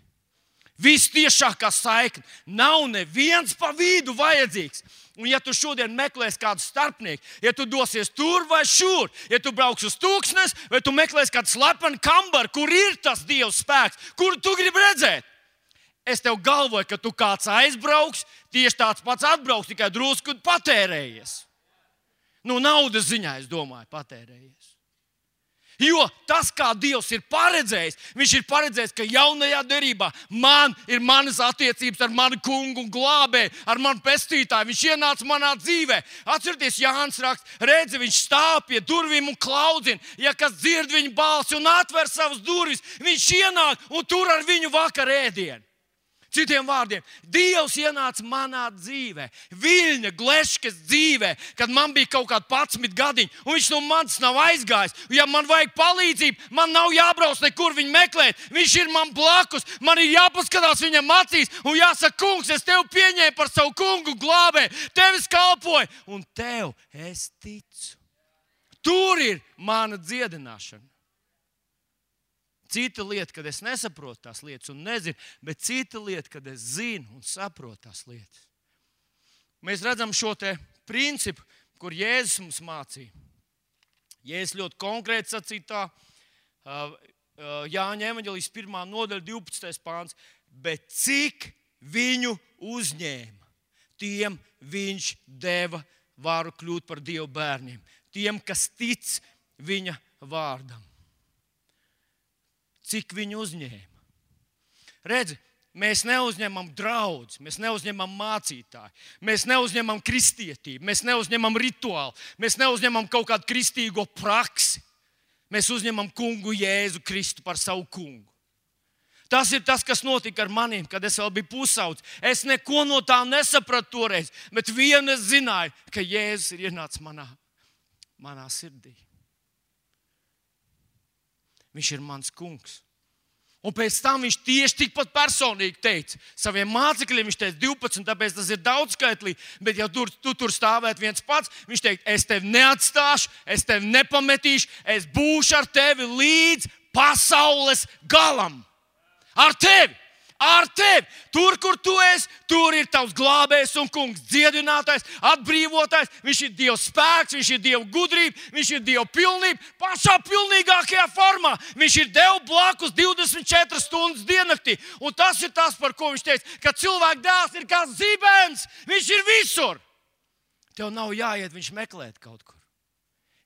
Vistiešākā saikne. Nav neviens pa vidu vajadzīgs. Un ja tu šodien meklēsi kādu starpnieku, ja tu dosies tur vai šur, ja tu brauks uz tūkstnes, vai tu meklēsi kādu slepenu kambaru, kur ir tas Dieva spēks, kuru tu gribi redzēt, es tev galvoju, ka tu kāds aizbrauks, tieši tāds pats atbrauks, tikai drusku patērējies. Naudas ziņā, es domāju, patērējies. Jo tas, kā Dievs ir paredzējis, viņš ir paredzējis, ka jaunajā derībā man ir manas attiecības ar manu kungu un glābēju, ar manu pestītāju. Viņš ienāca manā dzīvē. Atcerieties, Jānis raksta, redzi, viņš stāv pie durvīm un klaudzina. Ja kas dzird viņa balsi un atver savas durvis, viņš ienāk un tur ar viņu vakar ēdienu. Citiem vārdiem, Dievs ienāca manā dzīvē, Viļņa Gleškas dzīvē, kad man bija kaut kādi 11 gadiņi, un viņš no manis nav aizgājis. Ja man vajag palīdzību, man nav jābrauc nekur viņu meklēt. Viņš ir man blakus, man ir jāpaskatās viņam acīs un jāsaka, kungs, es tevi pieņēmu par savu kungu glābēju, tevis kalpoju, un tev es ticu. Tur ir mana dziedināšana. Cita lieta, kad es nesaprotu tās lietas un nezinu, bet cita lieta, kad es zinu un saprotu tās lietas. Mēs redzam šo te principu, kur Jēzus mums mācīja. Jēzus ļoti konkrēti sacīja tā, Jāņa evaņģēlijas 1. nodaļa 12. pāns, bet cik viņu uzņēma, tiem viņš deva varu kļūt par Dieva bērniem. Tiem, kas tic viņa vārdam. Cik viņi uzņēma? Redzi, mēs neuzņemam draudzi, mēs neuzņemam mācītāju, mēs neuzņemam kristietību, mēs neuzņemam rituālu, mēs neuzņemam kaut kādu kristīgo praksi. Mēs uzņemam kungu Jēzu Kristu par savu kungu. Tas ir tas, kas notika ar maniem, kad es vēl biju pusaudzis. Es neko no tā nesapratu toreiz, bet vienu es zināju, ka Jēzus ir ienācis manā sirdī. Viņš ir mans kungs. Un pēc tam viņš tieši tikpat personīgi teica saviem mācekļiem, viņš teica 12, tāpēc tas ir daudzskaitlīgi, bet ja tu tur stāvētu viens pats, viņš teica, es tevi neatstāšu, es tevi nepametīšu, es būšu ar tevi līdz pasaules galam. Ar tevi! Ar tevi! Tur, kur tu esi, tur ir tavs glābējs un kungs, dziedinātājs, atbrīvotājs. Viņš ir Dieva spēks, viņš ir Dieva gudrība, viņš ir Dieva pilnība. Pašā pilnīgākajā formā. Viņš ir Dievu blakus 24 stundas diennaktī. Un tas ir tas, par ko viņš teica, ka cilvēka dēls ir kā zibens. Viņš ir visur. Tev nav jāiet viņš meklēt kaut kur.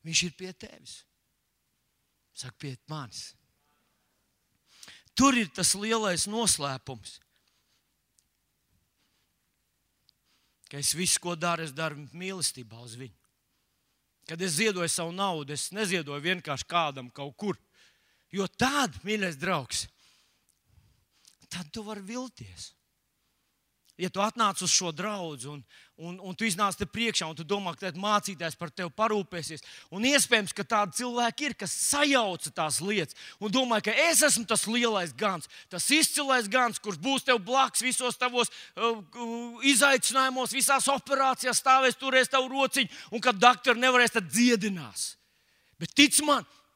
Viņš ir pie tevis. Saka, pie manis. Tur ir tas lielais noslēpums. Ka es visu, ko daru, es daru mīlestībā uz viņu. Kad es ziedoju savu naudu, es neziedoju vienkārši kādam kaut kur. Jo tad, mīļais draugs, tad tu vari vilties. Ja tu atnāc uz šo draudzi un tu iznāc te priekšā un tu domā, ka mācītājs par tevi parūpēsies. Un iespējams, ka tādi cilvēki ir, kas sajauca tās lietas un domāja, ka es esmu tas lielais gans, tas izcilais gans, kurš būs tev blakus visos tavos izaicinājumos, visās operācijās stāvēs, turēs tavu rociņu un kad doktori nevarēs, tad dziedinās. Bet tic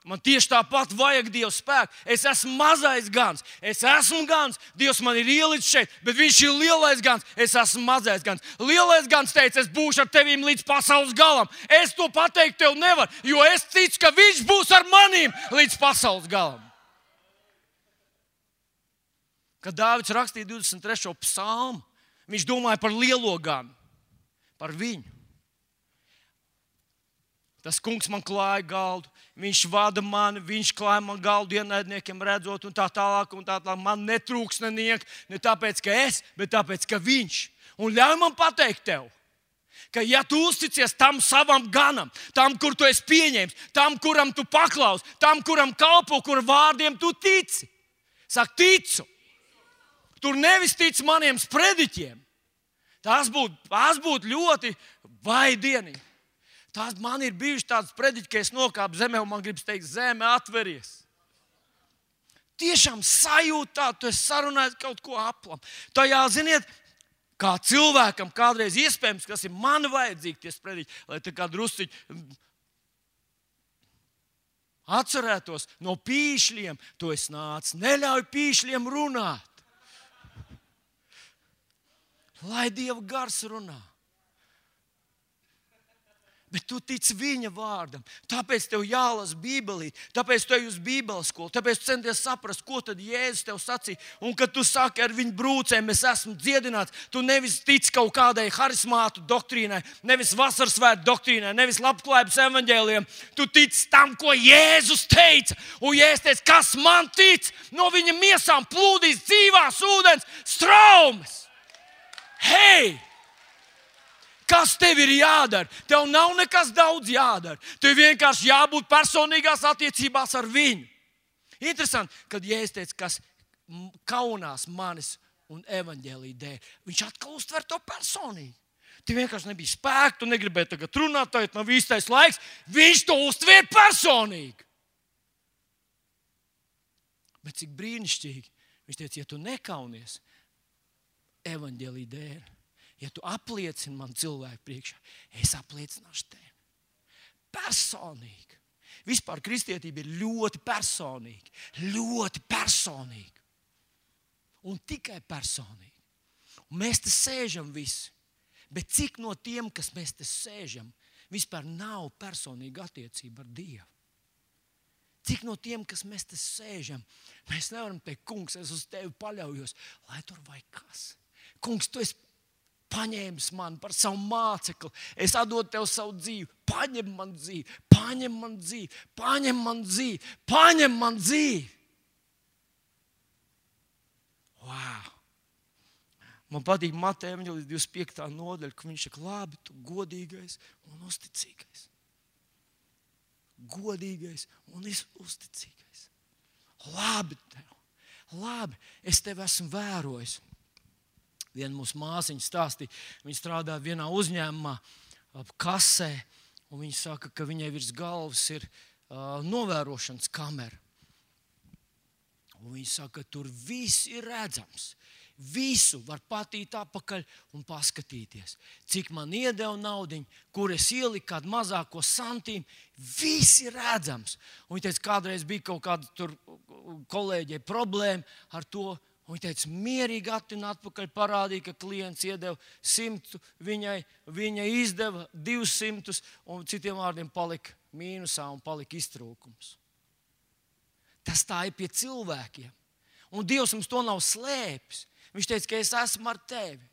man tieši tāpat vajag Dieva spēku. Es esmu mazais gans. Es esmu gans. Dievs man ir ielicis šeit, bet viņš ir lielais gans. Es esmu mazais gans. Lielais gans teica, es būšu ar tevīm līdz pasaules galam. Es to pateikt tev nevaru, jo es ticu, ka viņš būs ar manīm līdz pasaules galam. Kad Dāvids rakstīja 23. psalmu, viņš domāja par lielo ganu, par viņu. Tas kungs man klāja galdu, viņš vada mani, viņš klāja man galdu ienaidniekiem redzot un tā tālāk. Man netrūks neniek, ne tāpēc, ka es, bet tāpēc, ka viņš. Un ļauj man pateikt tev, ka ja tu uzticies tam savam ganam, tam, kur tu esi pieņēmis, tam, kuram tu paklaus, tam, kuram kalpo, kur vārdiem tu tici. Saka, ticu. Tur nevis tic maniem sprediķiem. Tas būtu ļoti vaidienīgi. Man ir bijuši tādas prediķi, ka es nokāpu zemē un man gribas teikt, zeme atveries. Tiešām sajūtā, tu esi sarunājis kaut ko aplam. Tajā, ziniet, kā cilvēkam kādreiz iespējams, kas ir man vajadzīgi tie prediķi, lai tā kā drusciņi atcerētos no pīšļiem, tu esi nācis, neļauj pīšļiem runāt. Lai Dieva gars runā. Bet tu tici viņa vārdam. Tāpēc tev jālasa Bībelī, tāpēc tu ej uz Bībeles skolu, tāpēc tu centies saprast, ko tad Jēzus tev sacīja. Un kad tu saki ar viņu brūcēm, es esmu dziedināts, tu nevis tici kaut kādai harismātu doktrīnai, nevis vasarsvētku doktrīnai, nevis labklājības evaņģēlijam. Tu tici tam, ko Jēzus teica. Un Jēzus teica, kas man tic, no viņa miesām plūdīs dzīvās ūdens straumes. Hei! Kas tev ir jādara? Tev nav nekas daudz jādara. Tev vienkārši jābūt personīgās attiecībās ar viņu. Interesanti, kad Jēzus teica, kas kaunās manis un evaņģēlija dēļ, viņš atkal uztver to personīgi. Tev vienkārši nebija spēka, tu negribēji tagad runāt, tagad nav īstais laiks. Viņš to uztver personīgi. Bet cik brīnišķīgi. Viņš teica, ja tu nekaunies evaņģēlija dēļ, ja tu apliecini man cilvēku priekšā, es apliecināšu tevi. Personīgi. Vispār kristietība ir ļoti personīga. Ļoti personīga. Un tikai personīgi. Un mēs te sēžam visi. Bet cik no tiem, kas mēs te sēžam, vispār nav personīga attiecība ar Dievu? Cik no tiem, kas mēs te sēžam, mēs nevaram teikt, kungs, es uz tevi paļaujos, lai tur vai kas. Kungs, tu esi paņēmis mani par savu mācekli. Es atdodu tev savu dzīvi. Paņem man dzīvi, paņem man dzīvi, paņem man dzīvi, paņem man dzīvi. Wow! Man patīk Mateja evaņģēlijas 25. nodaļa, ka viņš saka, labi, tu godīgais un uzticīgais. Godīgais un uzticīgais. Labi tev, labi, es tevi esmu vērojis. Viena mūsu māsiņa stāstīja, viņa strādā vienā uzņēmumā, kasē, un viņa saka, ka viņai virs galvas ir novērošanas kamera. Un viņa saka, ka tur viss ir redzams. Visu var patīt apakaļ un paskatīties. Cik man iedeva naudiņu, kur es ieliku kādu mazāko santīmu, viss ir redzams. Un viņa teica, kādreiz bija kaut kāda tur kolēģei problēma ar to. Un viņa teica, mierīgi atpakaļ parādīja, ka klients iedeva 100, viņa izdeva 200, un citiem vārdiem palika mīnusā un palika iztrūkums. Tas tā ir pie cilvēkiem. Un Dievs mums to nav slēpis. Viņš teica, ka es esmu ar tevi.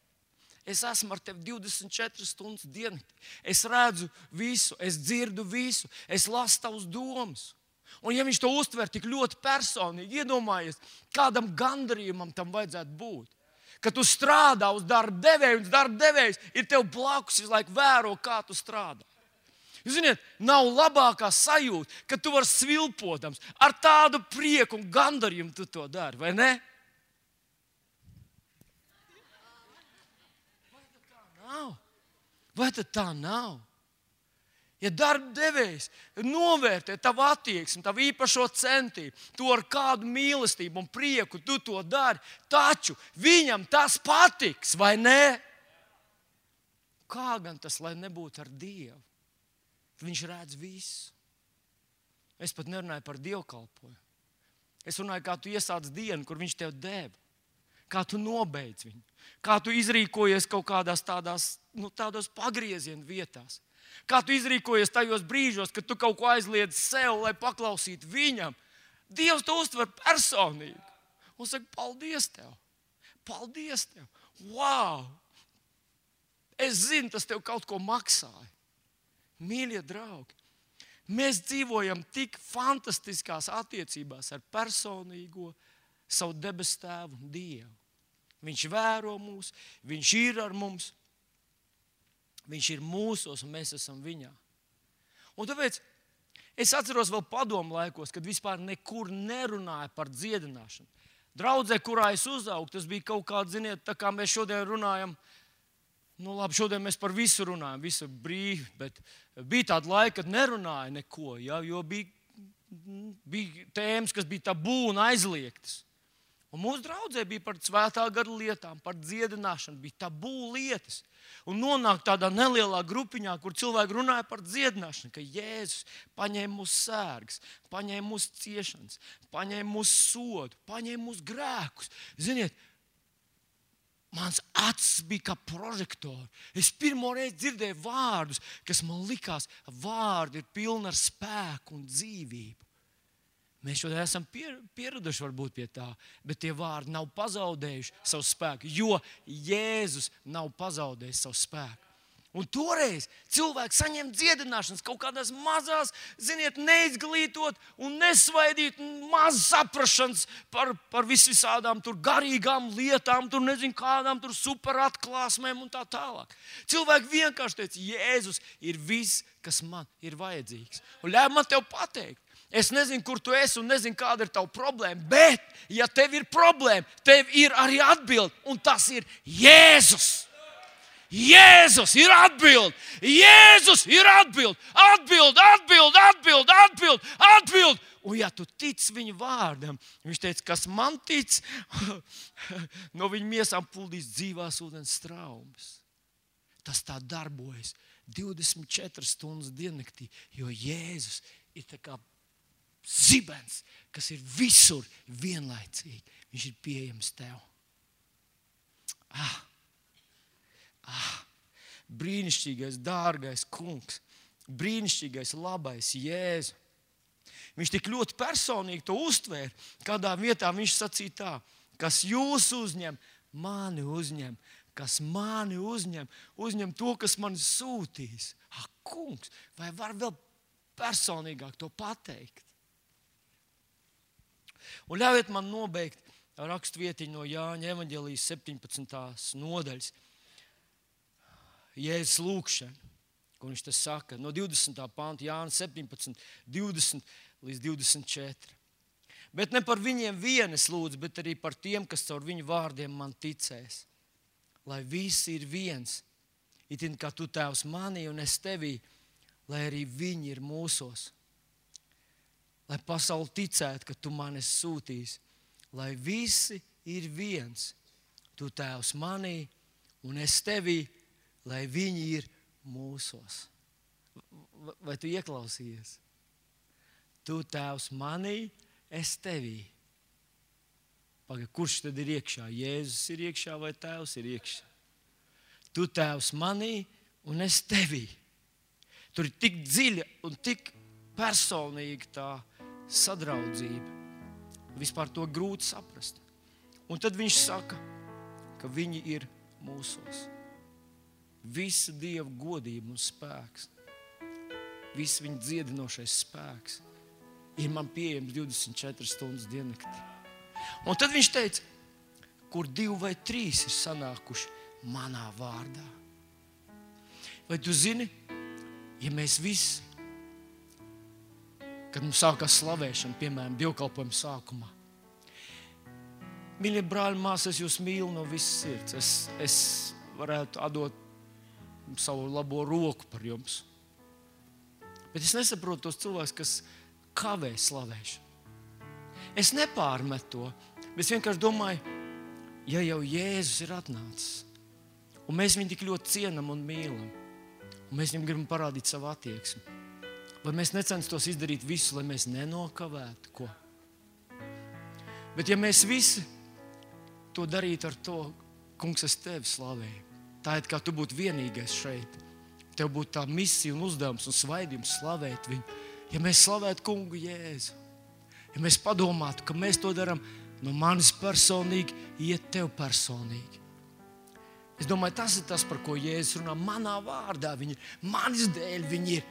Es esmu ar tevi 24 stundas diennaktī. Es redzu visu, es dzirdu visu, es lasu tavus domas. Un ja viņš to uztver tik ļoti personīgi, iedomājies, kādam gandarījumam tam vajadzētu būt. Kad tu strādā uz darba devēju, un darba devējs ir tev blakus, visu laiku vēro, kā tu strādā. Jūs ziniet, nav labākā sajūta, kad tu vari svilpotams, ar tādu prieku un gandarījumu tu to dari, vai ne? Vai tad tā nav? Ja darba devējs novērtē tavu attieksmi, tavu īpašo centību, to ar kādu mīlestību un prieku tu to dari, taču viņam tas patiks, vai ne? Kā gan tas, lai nebūtu ar Dievu? Viņš redz visu. Es pat nerunāju par dievkalpojumu. Es runāju, kā tu iesāc dienu, kur viņš tev deva. Kā tu nobeidz viņu. Kā tu izrīkojies kaut kādās tādos pagriezienu vietās. Kā tu izrīkojies tajos brīžos, kad tu kaut ko aizliedz sev, lai paklausītu viņam. Dievs to uztver personīgi. Un saka, paldies tev. Paldies tev. Wow! Es zinu, tas tev kaut ko maksāja. Mīļie draugi, mēs dzīvojam tik fantastiskās attiecībās ar personīgo savu debesu tēvu un Dievu. Viņš vēro mūs, viņš ir ar mums, viņš ir mūsos un mēs esam viņā. Un tāpēc es atceros vēl padomu laikos, kad vispār nekur nerunāja par dziedināšanu. Draudzē, kurā es uzaugu, tas bija kaut kāds, ziniet, tā kā mēs šodien runājam. Labi, šodien mēs par visu runājam, visu brīvi, bet bija tāda laika, kad nerunāja neko, ja, jo bija tēmas, kas bija tabū un aizliegtas. Un mūsu draudzē bija par svētā gara lietām, par dziedināšanu, bija tabū lietas. Un nonāk tādā nelielā grupiņā, kur cilvēki runāja par dziedināšanu, ka Jēzus paņēma mūsu sērgas, paņēma mūsu ciešanas, paņēma mūsu sodu, paņēma mūsu grēkus. Ziniet, mans acis bija kā prožektori. Es pirmo reizi dzirdēju vārdus, kas man likās, vārdi ir pilni ar spēku un dzīvību. Mēs šodien esam pieraduši varbūt pie tā, bet tie vārdi nav pazaudējuši savu spēku, jo Jēzus nav pazaudējis savu spēku. Un toreiz cilvēki saņem dziedināšanas kaut kādās mazās, ziniet, neizglītot un nesvaidīt, maz saprašanas par visādām tur garīgām lietām, tur nezinu kādām tur superatklāsmēm un tā tālāk. Cilvēki vienkārši teica, Jēzus ir viss, kas man ir vajadzīgs. Un ļauj man tev pateikt, es nezinu, kur tu esi un nezinu, kāda ir tava problēma, bet, ja tev ir problēma, tev ir arī atbilde, un tas ir Jēzus. Jēzus ir atbild! Jēzus ir atbild! Atbild! Un ja tu tici viņa vārdam, viņš teica, kas man tic, no viņa miesām puldīs dzīvās ūdens straumes. Tas tā darbojas 24 stundas diennaktī, jo Jēzus ir tā kā zibens, kas ir visur vienlaicīgi. Viņš ir pieejams tev. Brīnišķīgais, dārgais kungs, brīnišķīgais, labais Jēzu. Viņš tik ļoti personīgi to uztvēra. Kādā vietā viņš sacīja tā, kas jūs uzņem, mani uzņem. kas mani uzņem to, kas mani sūtīs. Ak, kungs, vai var vēl personīgāk to pateikt? Un ļaujiet man nobeigt rakstvietiņu no Jāņa evaņģēlijas 17. nodaļas. Jēzus lūkšana, ko viņš te saka, no 20. panta, Jāņa 17, 20 līdz 24. Bet ne par viņiem vien es lūdzu, bet arī par tiem, kas caur viņu vārdiem man ticēs. Lai visi ir viens, itin kā tu, Tēvs, manī un es tevī, lai arī viņi ir mūsos. Lai pasauli ticētu, ka tu mani esi sūtījis. Lai visi ir viens, tu, Tēvs, manī un es tevī, lai viņi ir mūsos. Vai tu ieklausījies? Tu, Tēvs, manī, es tevī. Pagaid, kurš tad ir iekšā? Jēzus ir iekšā vai Tēvs ir iekšā? Tu, Tēvs, manī un es tevī. Tur ir tik dziļa un tik personīga tā sadraudzība. Vispār to grūti saprast. Un tad viņš saka, ka viņi ir mūsos. Visa Dieva godība un spēks, viss viņa dziedinošais spēks ir man pieejams 24 stundas diennaktī. Un tad viņš teica, kur 2 vai 3 ir sanākuši manā vārdā. Vai tu zini, ja mēs visi, kad mums sākās slavēšana, piemēram, dievkalpojuma sākumā, mīļie brāļi, māsas, es jūs mīlu no visas sirds. Es varētu atdot savu labo roku par jums. Bet es nesaprotu tos cilvēkus, kas kavē slavēšanu. Es nepārmetu to, bet es vienkārši domāju, ja jau Jēzus ir atnācis, un mēs viņu tik ļoti cienam un mīlam, un mēs viņam gribam parādīt savu attieksmi, vai mēs necenstos izdarīt visu, lai mēs nenokavētu ko? Bet ja mēs visi to darītu ar to, kungs, es tevi slavēju, tā ir kā tu būtu vienīgais šeit, tev būtu tā misija un uzdevums un svaidījums slavēt viņu. Ja mēs slavētu kungu Jēzu, ja mēs padomātu, ka mēs to darām no manis personīgi, iet tev personīgi. Es domāju, tas ir tas, par ko Jēzus runā. Manā vārdā viņi ir, manis dēļ viņi ir.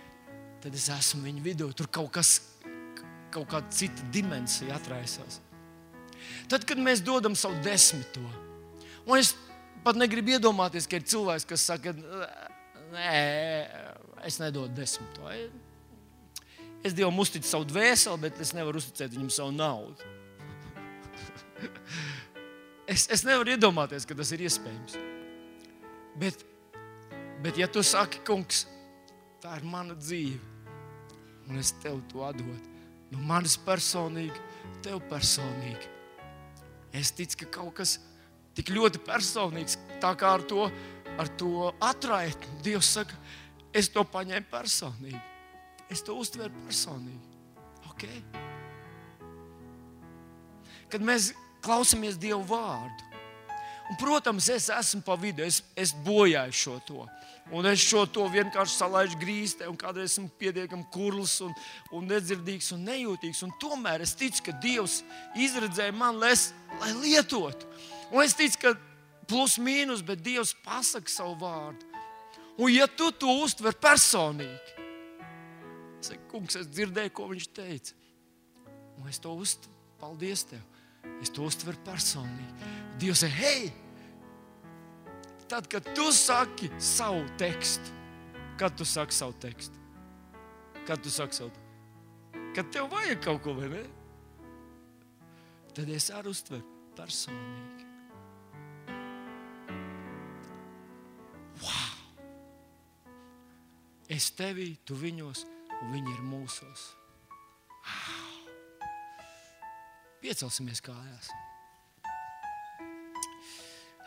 Tad es esmu viņu vidū. Tur kaut kāda cita dimensija atraisās. Tad, kad mēs dodam savu 10. Un es pat negribu iedomāties, ka ir cilvēks, kas saka, nē, es nedodu 10. Es Dievam uzticu savu dvēseli, bet es nevaru uzticēt viņam savu naudu. Es nevaru iedomāties, ka tas ir iespējams. Bet ja tu saki, kungs, tā ir mana dzīve, un es tev to atdodu, no manis personīgi, tev personīgi. Es ticu, ka kaut kas tik ļoti personīgs, tā kā ar to atraitni. Dievs saka, es to paņēmu personīgi. Es to uztveru personīgi. Okay? Kad mēs klausamies Dievu vārdu, un, protams, es esmu pa vidu, es bojāju šo to. Un es šo to vienkārši salaižu grīstē, un kādreiz esmu pietiekami kurls un nedzirdīgs un nejūtīgs. Un tomēr es ticu, ka Dievs izredzēja man, lai lietotu. Un es ticu, ka plus mīnus, bet Dievs pasaka savu vārdu. Un ja tu to uztver personīgi, saka, kungs, es dzirdēju, ko viņš teica. Un es to uztveru, paldies tev. Es to uztveru personīgi. Dievs saka, hei! Tad, kad tu saki savu tekstu, kad tu saki savu tekstu? Kad tu saki savu tekstu? Kad tev vajag kaut ko, vai ne? Tad es arī uztveru personīgi. Wow! Es tevī, tu viņos, un viņi ir mūsos. Wow! Piecelsimies kājās.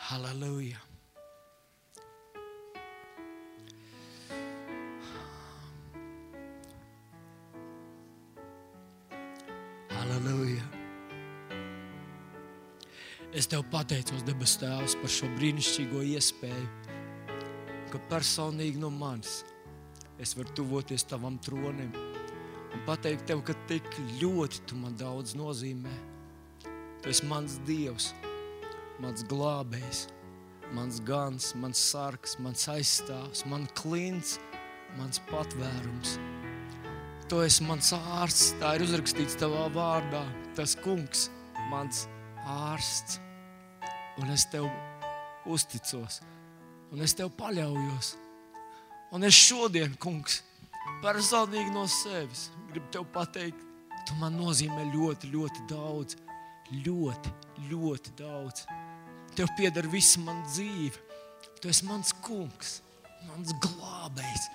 Halleluja! Halleluja! Es tev pateicos, debes Tēvs, par šo brīnišķīgo iespēju, ka personīgi no manis es varu tuvoties tavam tronim un pateikt tev, ka tik ļoti tu man daudz nozīmē. Tu esi mans Dievs, mans glābējs, mans gans, mans sargs, mans aizstāvs, man klints, mans patvērums. Tu esi mans ārsts, tā ir uzrakstīts tavā vārdā, tas kungs, mans ārsts. Un es tev uzticos, un es tev paļaujos. Un es šodien, kungs, personīgi no sevis gribu tev pateikt, tu man nozīmē ļoti, ļoti daudz. Ļoti, ļoti daudz. Tev pieder visa man dzīve. Tu esi mans kungs, mans glābējs.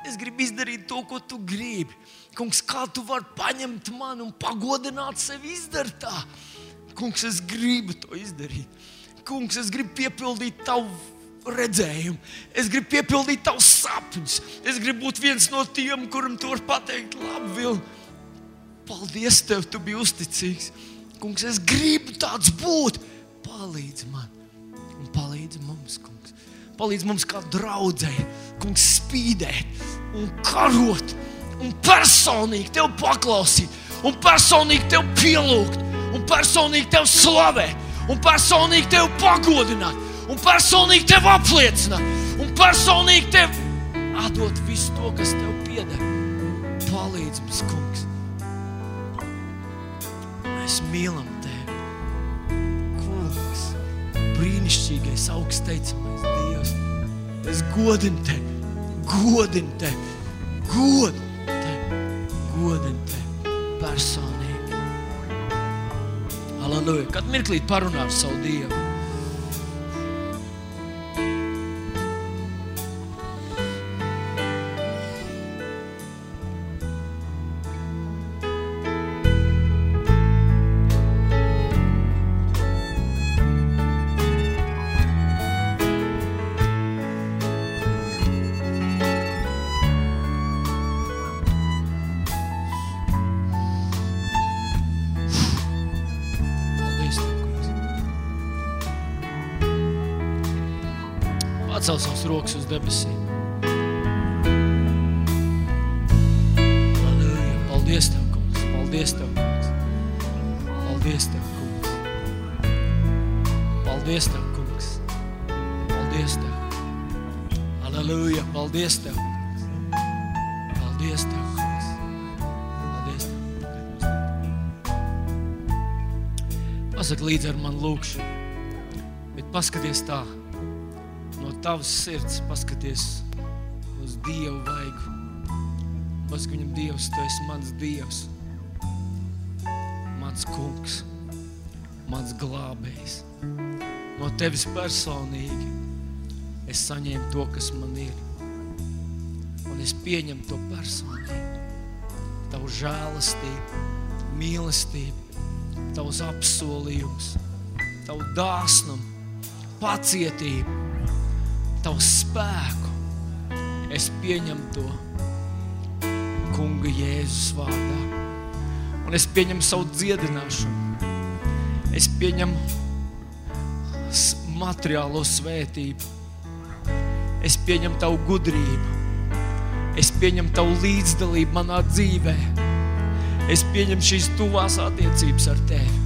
Es gribu izdarīt to, ko tu gribi. Kungs, kā tu vari paņemt mani un pagodināt sevi izdarīt tā? Kungs, es gribu to izdarīt. Kungs, es gribu piepildīt tavu redzējumu. Es gribu piepildīt tavus sapņus. Es gribu būt viens no tiem, kuram tu vari pateikt, labi, Vil, paldies tev, tu biji uzticīgs. Kungs, es gribu tāds būt. Palīdz man un palīdz mums, kungs. Palīdz mums kā draudzei, kungs, spīdēt un karot un personīgi tev paklausīt un personīgi tev pielūgt un personīgi tev slavēt un personīgi tev pagodināt un personīgi tev apliecināt un personīgi tev atdot visu to, kas tev pieder. Palīdz mums, kungs. Mēs mīlam tevi, kungs, brīnišķīgais, augstteicamais Dievs. Es godinu tevi, personīgi. Halleluja. Kad mirklīt parunā ar savu Dievu. Pacel savus rokas uz debesīm. Halleluja. Paldies tev, kungs. Paldies tev, kungs. Paldies tev, kungs. Paldies tev, kungs. Paldies tev. Halleluja. Paldies tev, kungs. Paldies tev, kungs. Paldies tev. Pasaka līdzi ar man lūkšu, bet paskaties tā. No tavas sirds paskaties uz Dievu vaigu. Pasaka viņam, Dievs, tu esi mans Dievs, mans kungs, mans glābējs. No tevis personīgi es saņēmu to, kas man ir. Un es pieņemu to personīgi. Tavu žēlastību, mīlestību, tavus apsolījumus, tavu dāsnumu, pacietību, tavu spēku. Es pieņemu to Kunga Jēzus vārdā. Un es pieņemu savu dziedināšanu. Es pieņemu materiālo svētību. Es pieņemu tavu gudrību. Es pieņemu tavu līdzdalību manā dzīvē. Es pieņemu šīs tuvās attiecības ar tevi.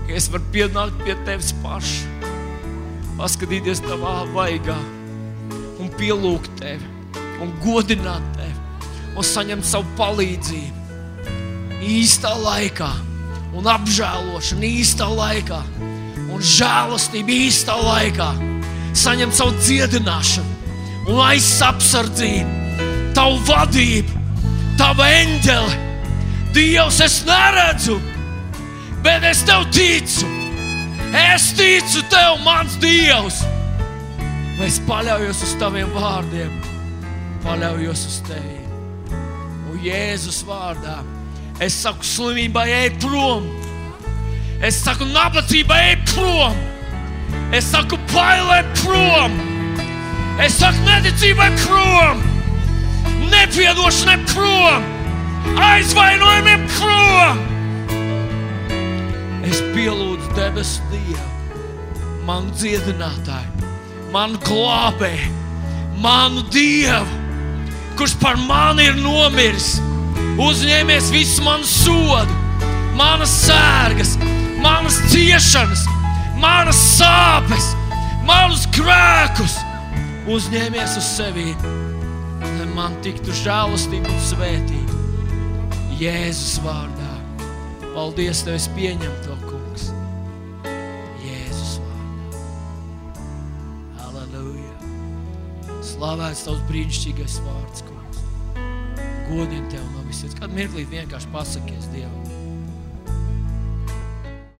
Ka es varu pienākt pie tevis paša, paskatīties tavā vaigā un pielūgt tevi un godināt tevi un saņemt savu palīdzību īstā laikā un apžēlošanu īstā laikā un žēlastību īstā laikā. Saņemt savu dziedināšanu un aizsapsardzību, tavu vadību, tavu eņģeli. Dievs, es neredzu, bet es tev ticu. Es ticu tev, mans Dievs. Es paļaujos uz taviem vārdiem. Paļaujos uz tevi. Un Jēzus vārdā es saku slimībai, ej prom. Es saku nabadzībai, ej prom. Es saku bailē prom. Es saku neticībai prom. Nepiedošanai prom. Aizvainojumiem prom. Es pielūdzu debesu Dievu, manu dziedinātāju, manu glābēju, manu Dievu, kurš par mani ir nomiris, uzņēmies visu manu sodu, manas sērgas, manas ciešanas, manas sāpes, Manus grēkus uzņēmies uz sevi, lai man tiktu žēlastība un svētība. Jēzus vārdā. Paldies, Tev, es pieņemu to, kungs. Jēzus vārdā. Halleluja. Slavēts Tavs brīnišķīgais vārds, kungs. Godiem Tev no visiem. Kādu mirklīt vienkārši pasakies Dievam.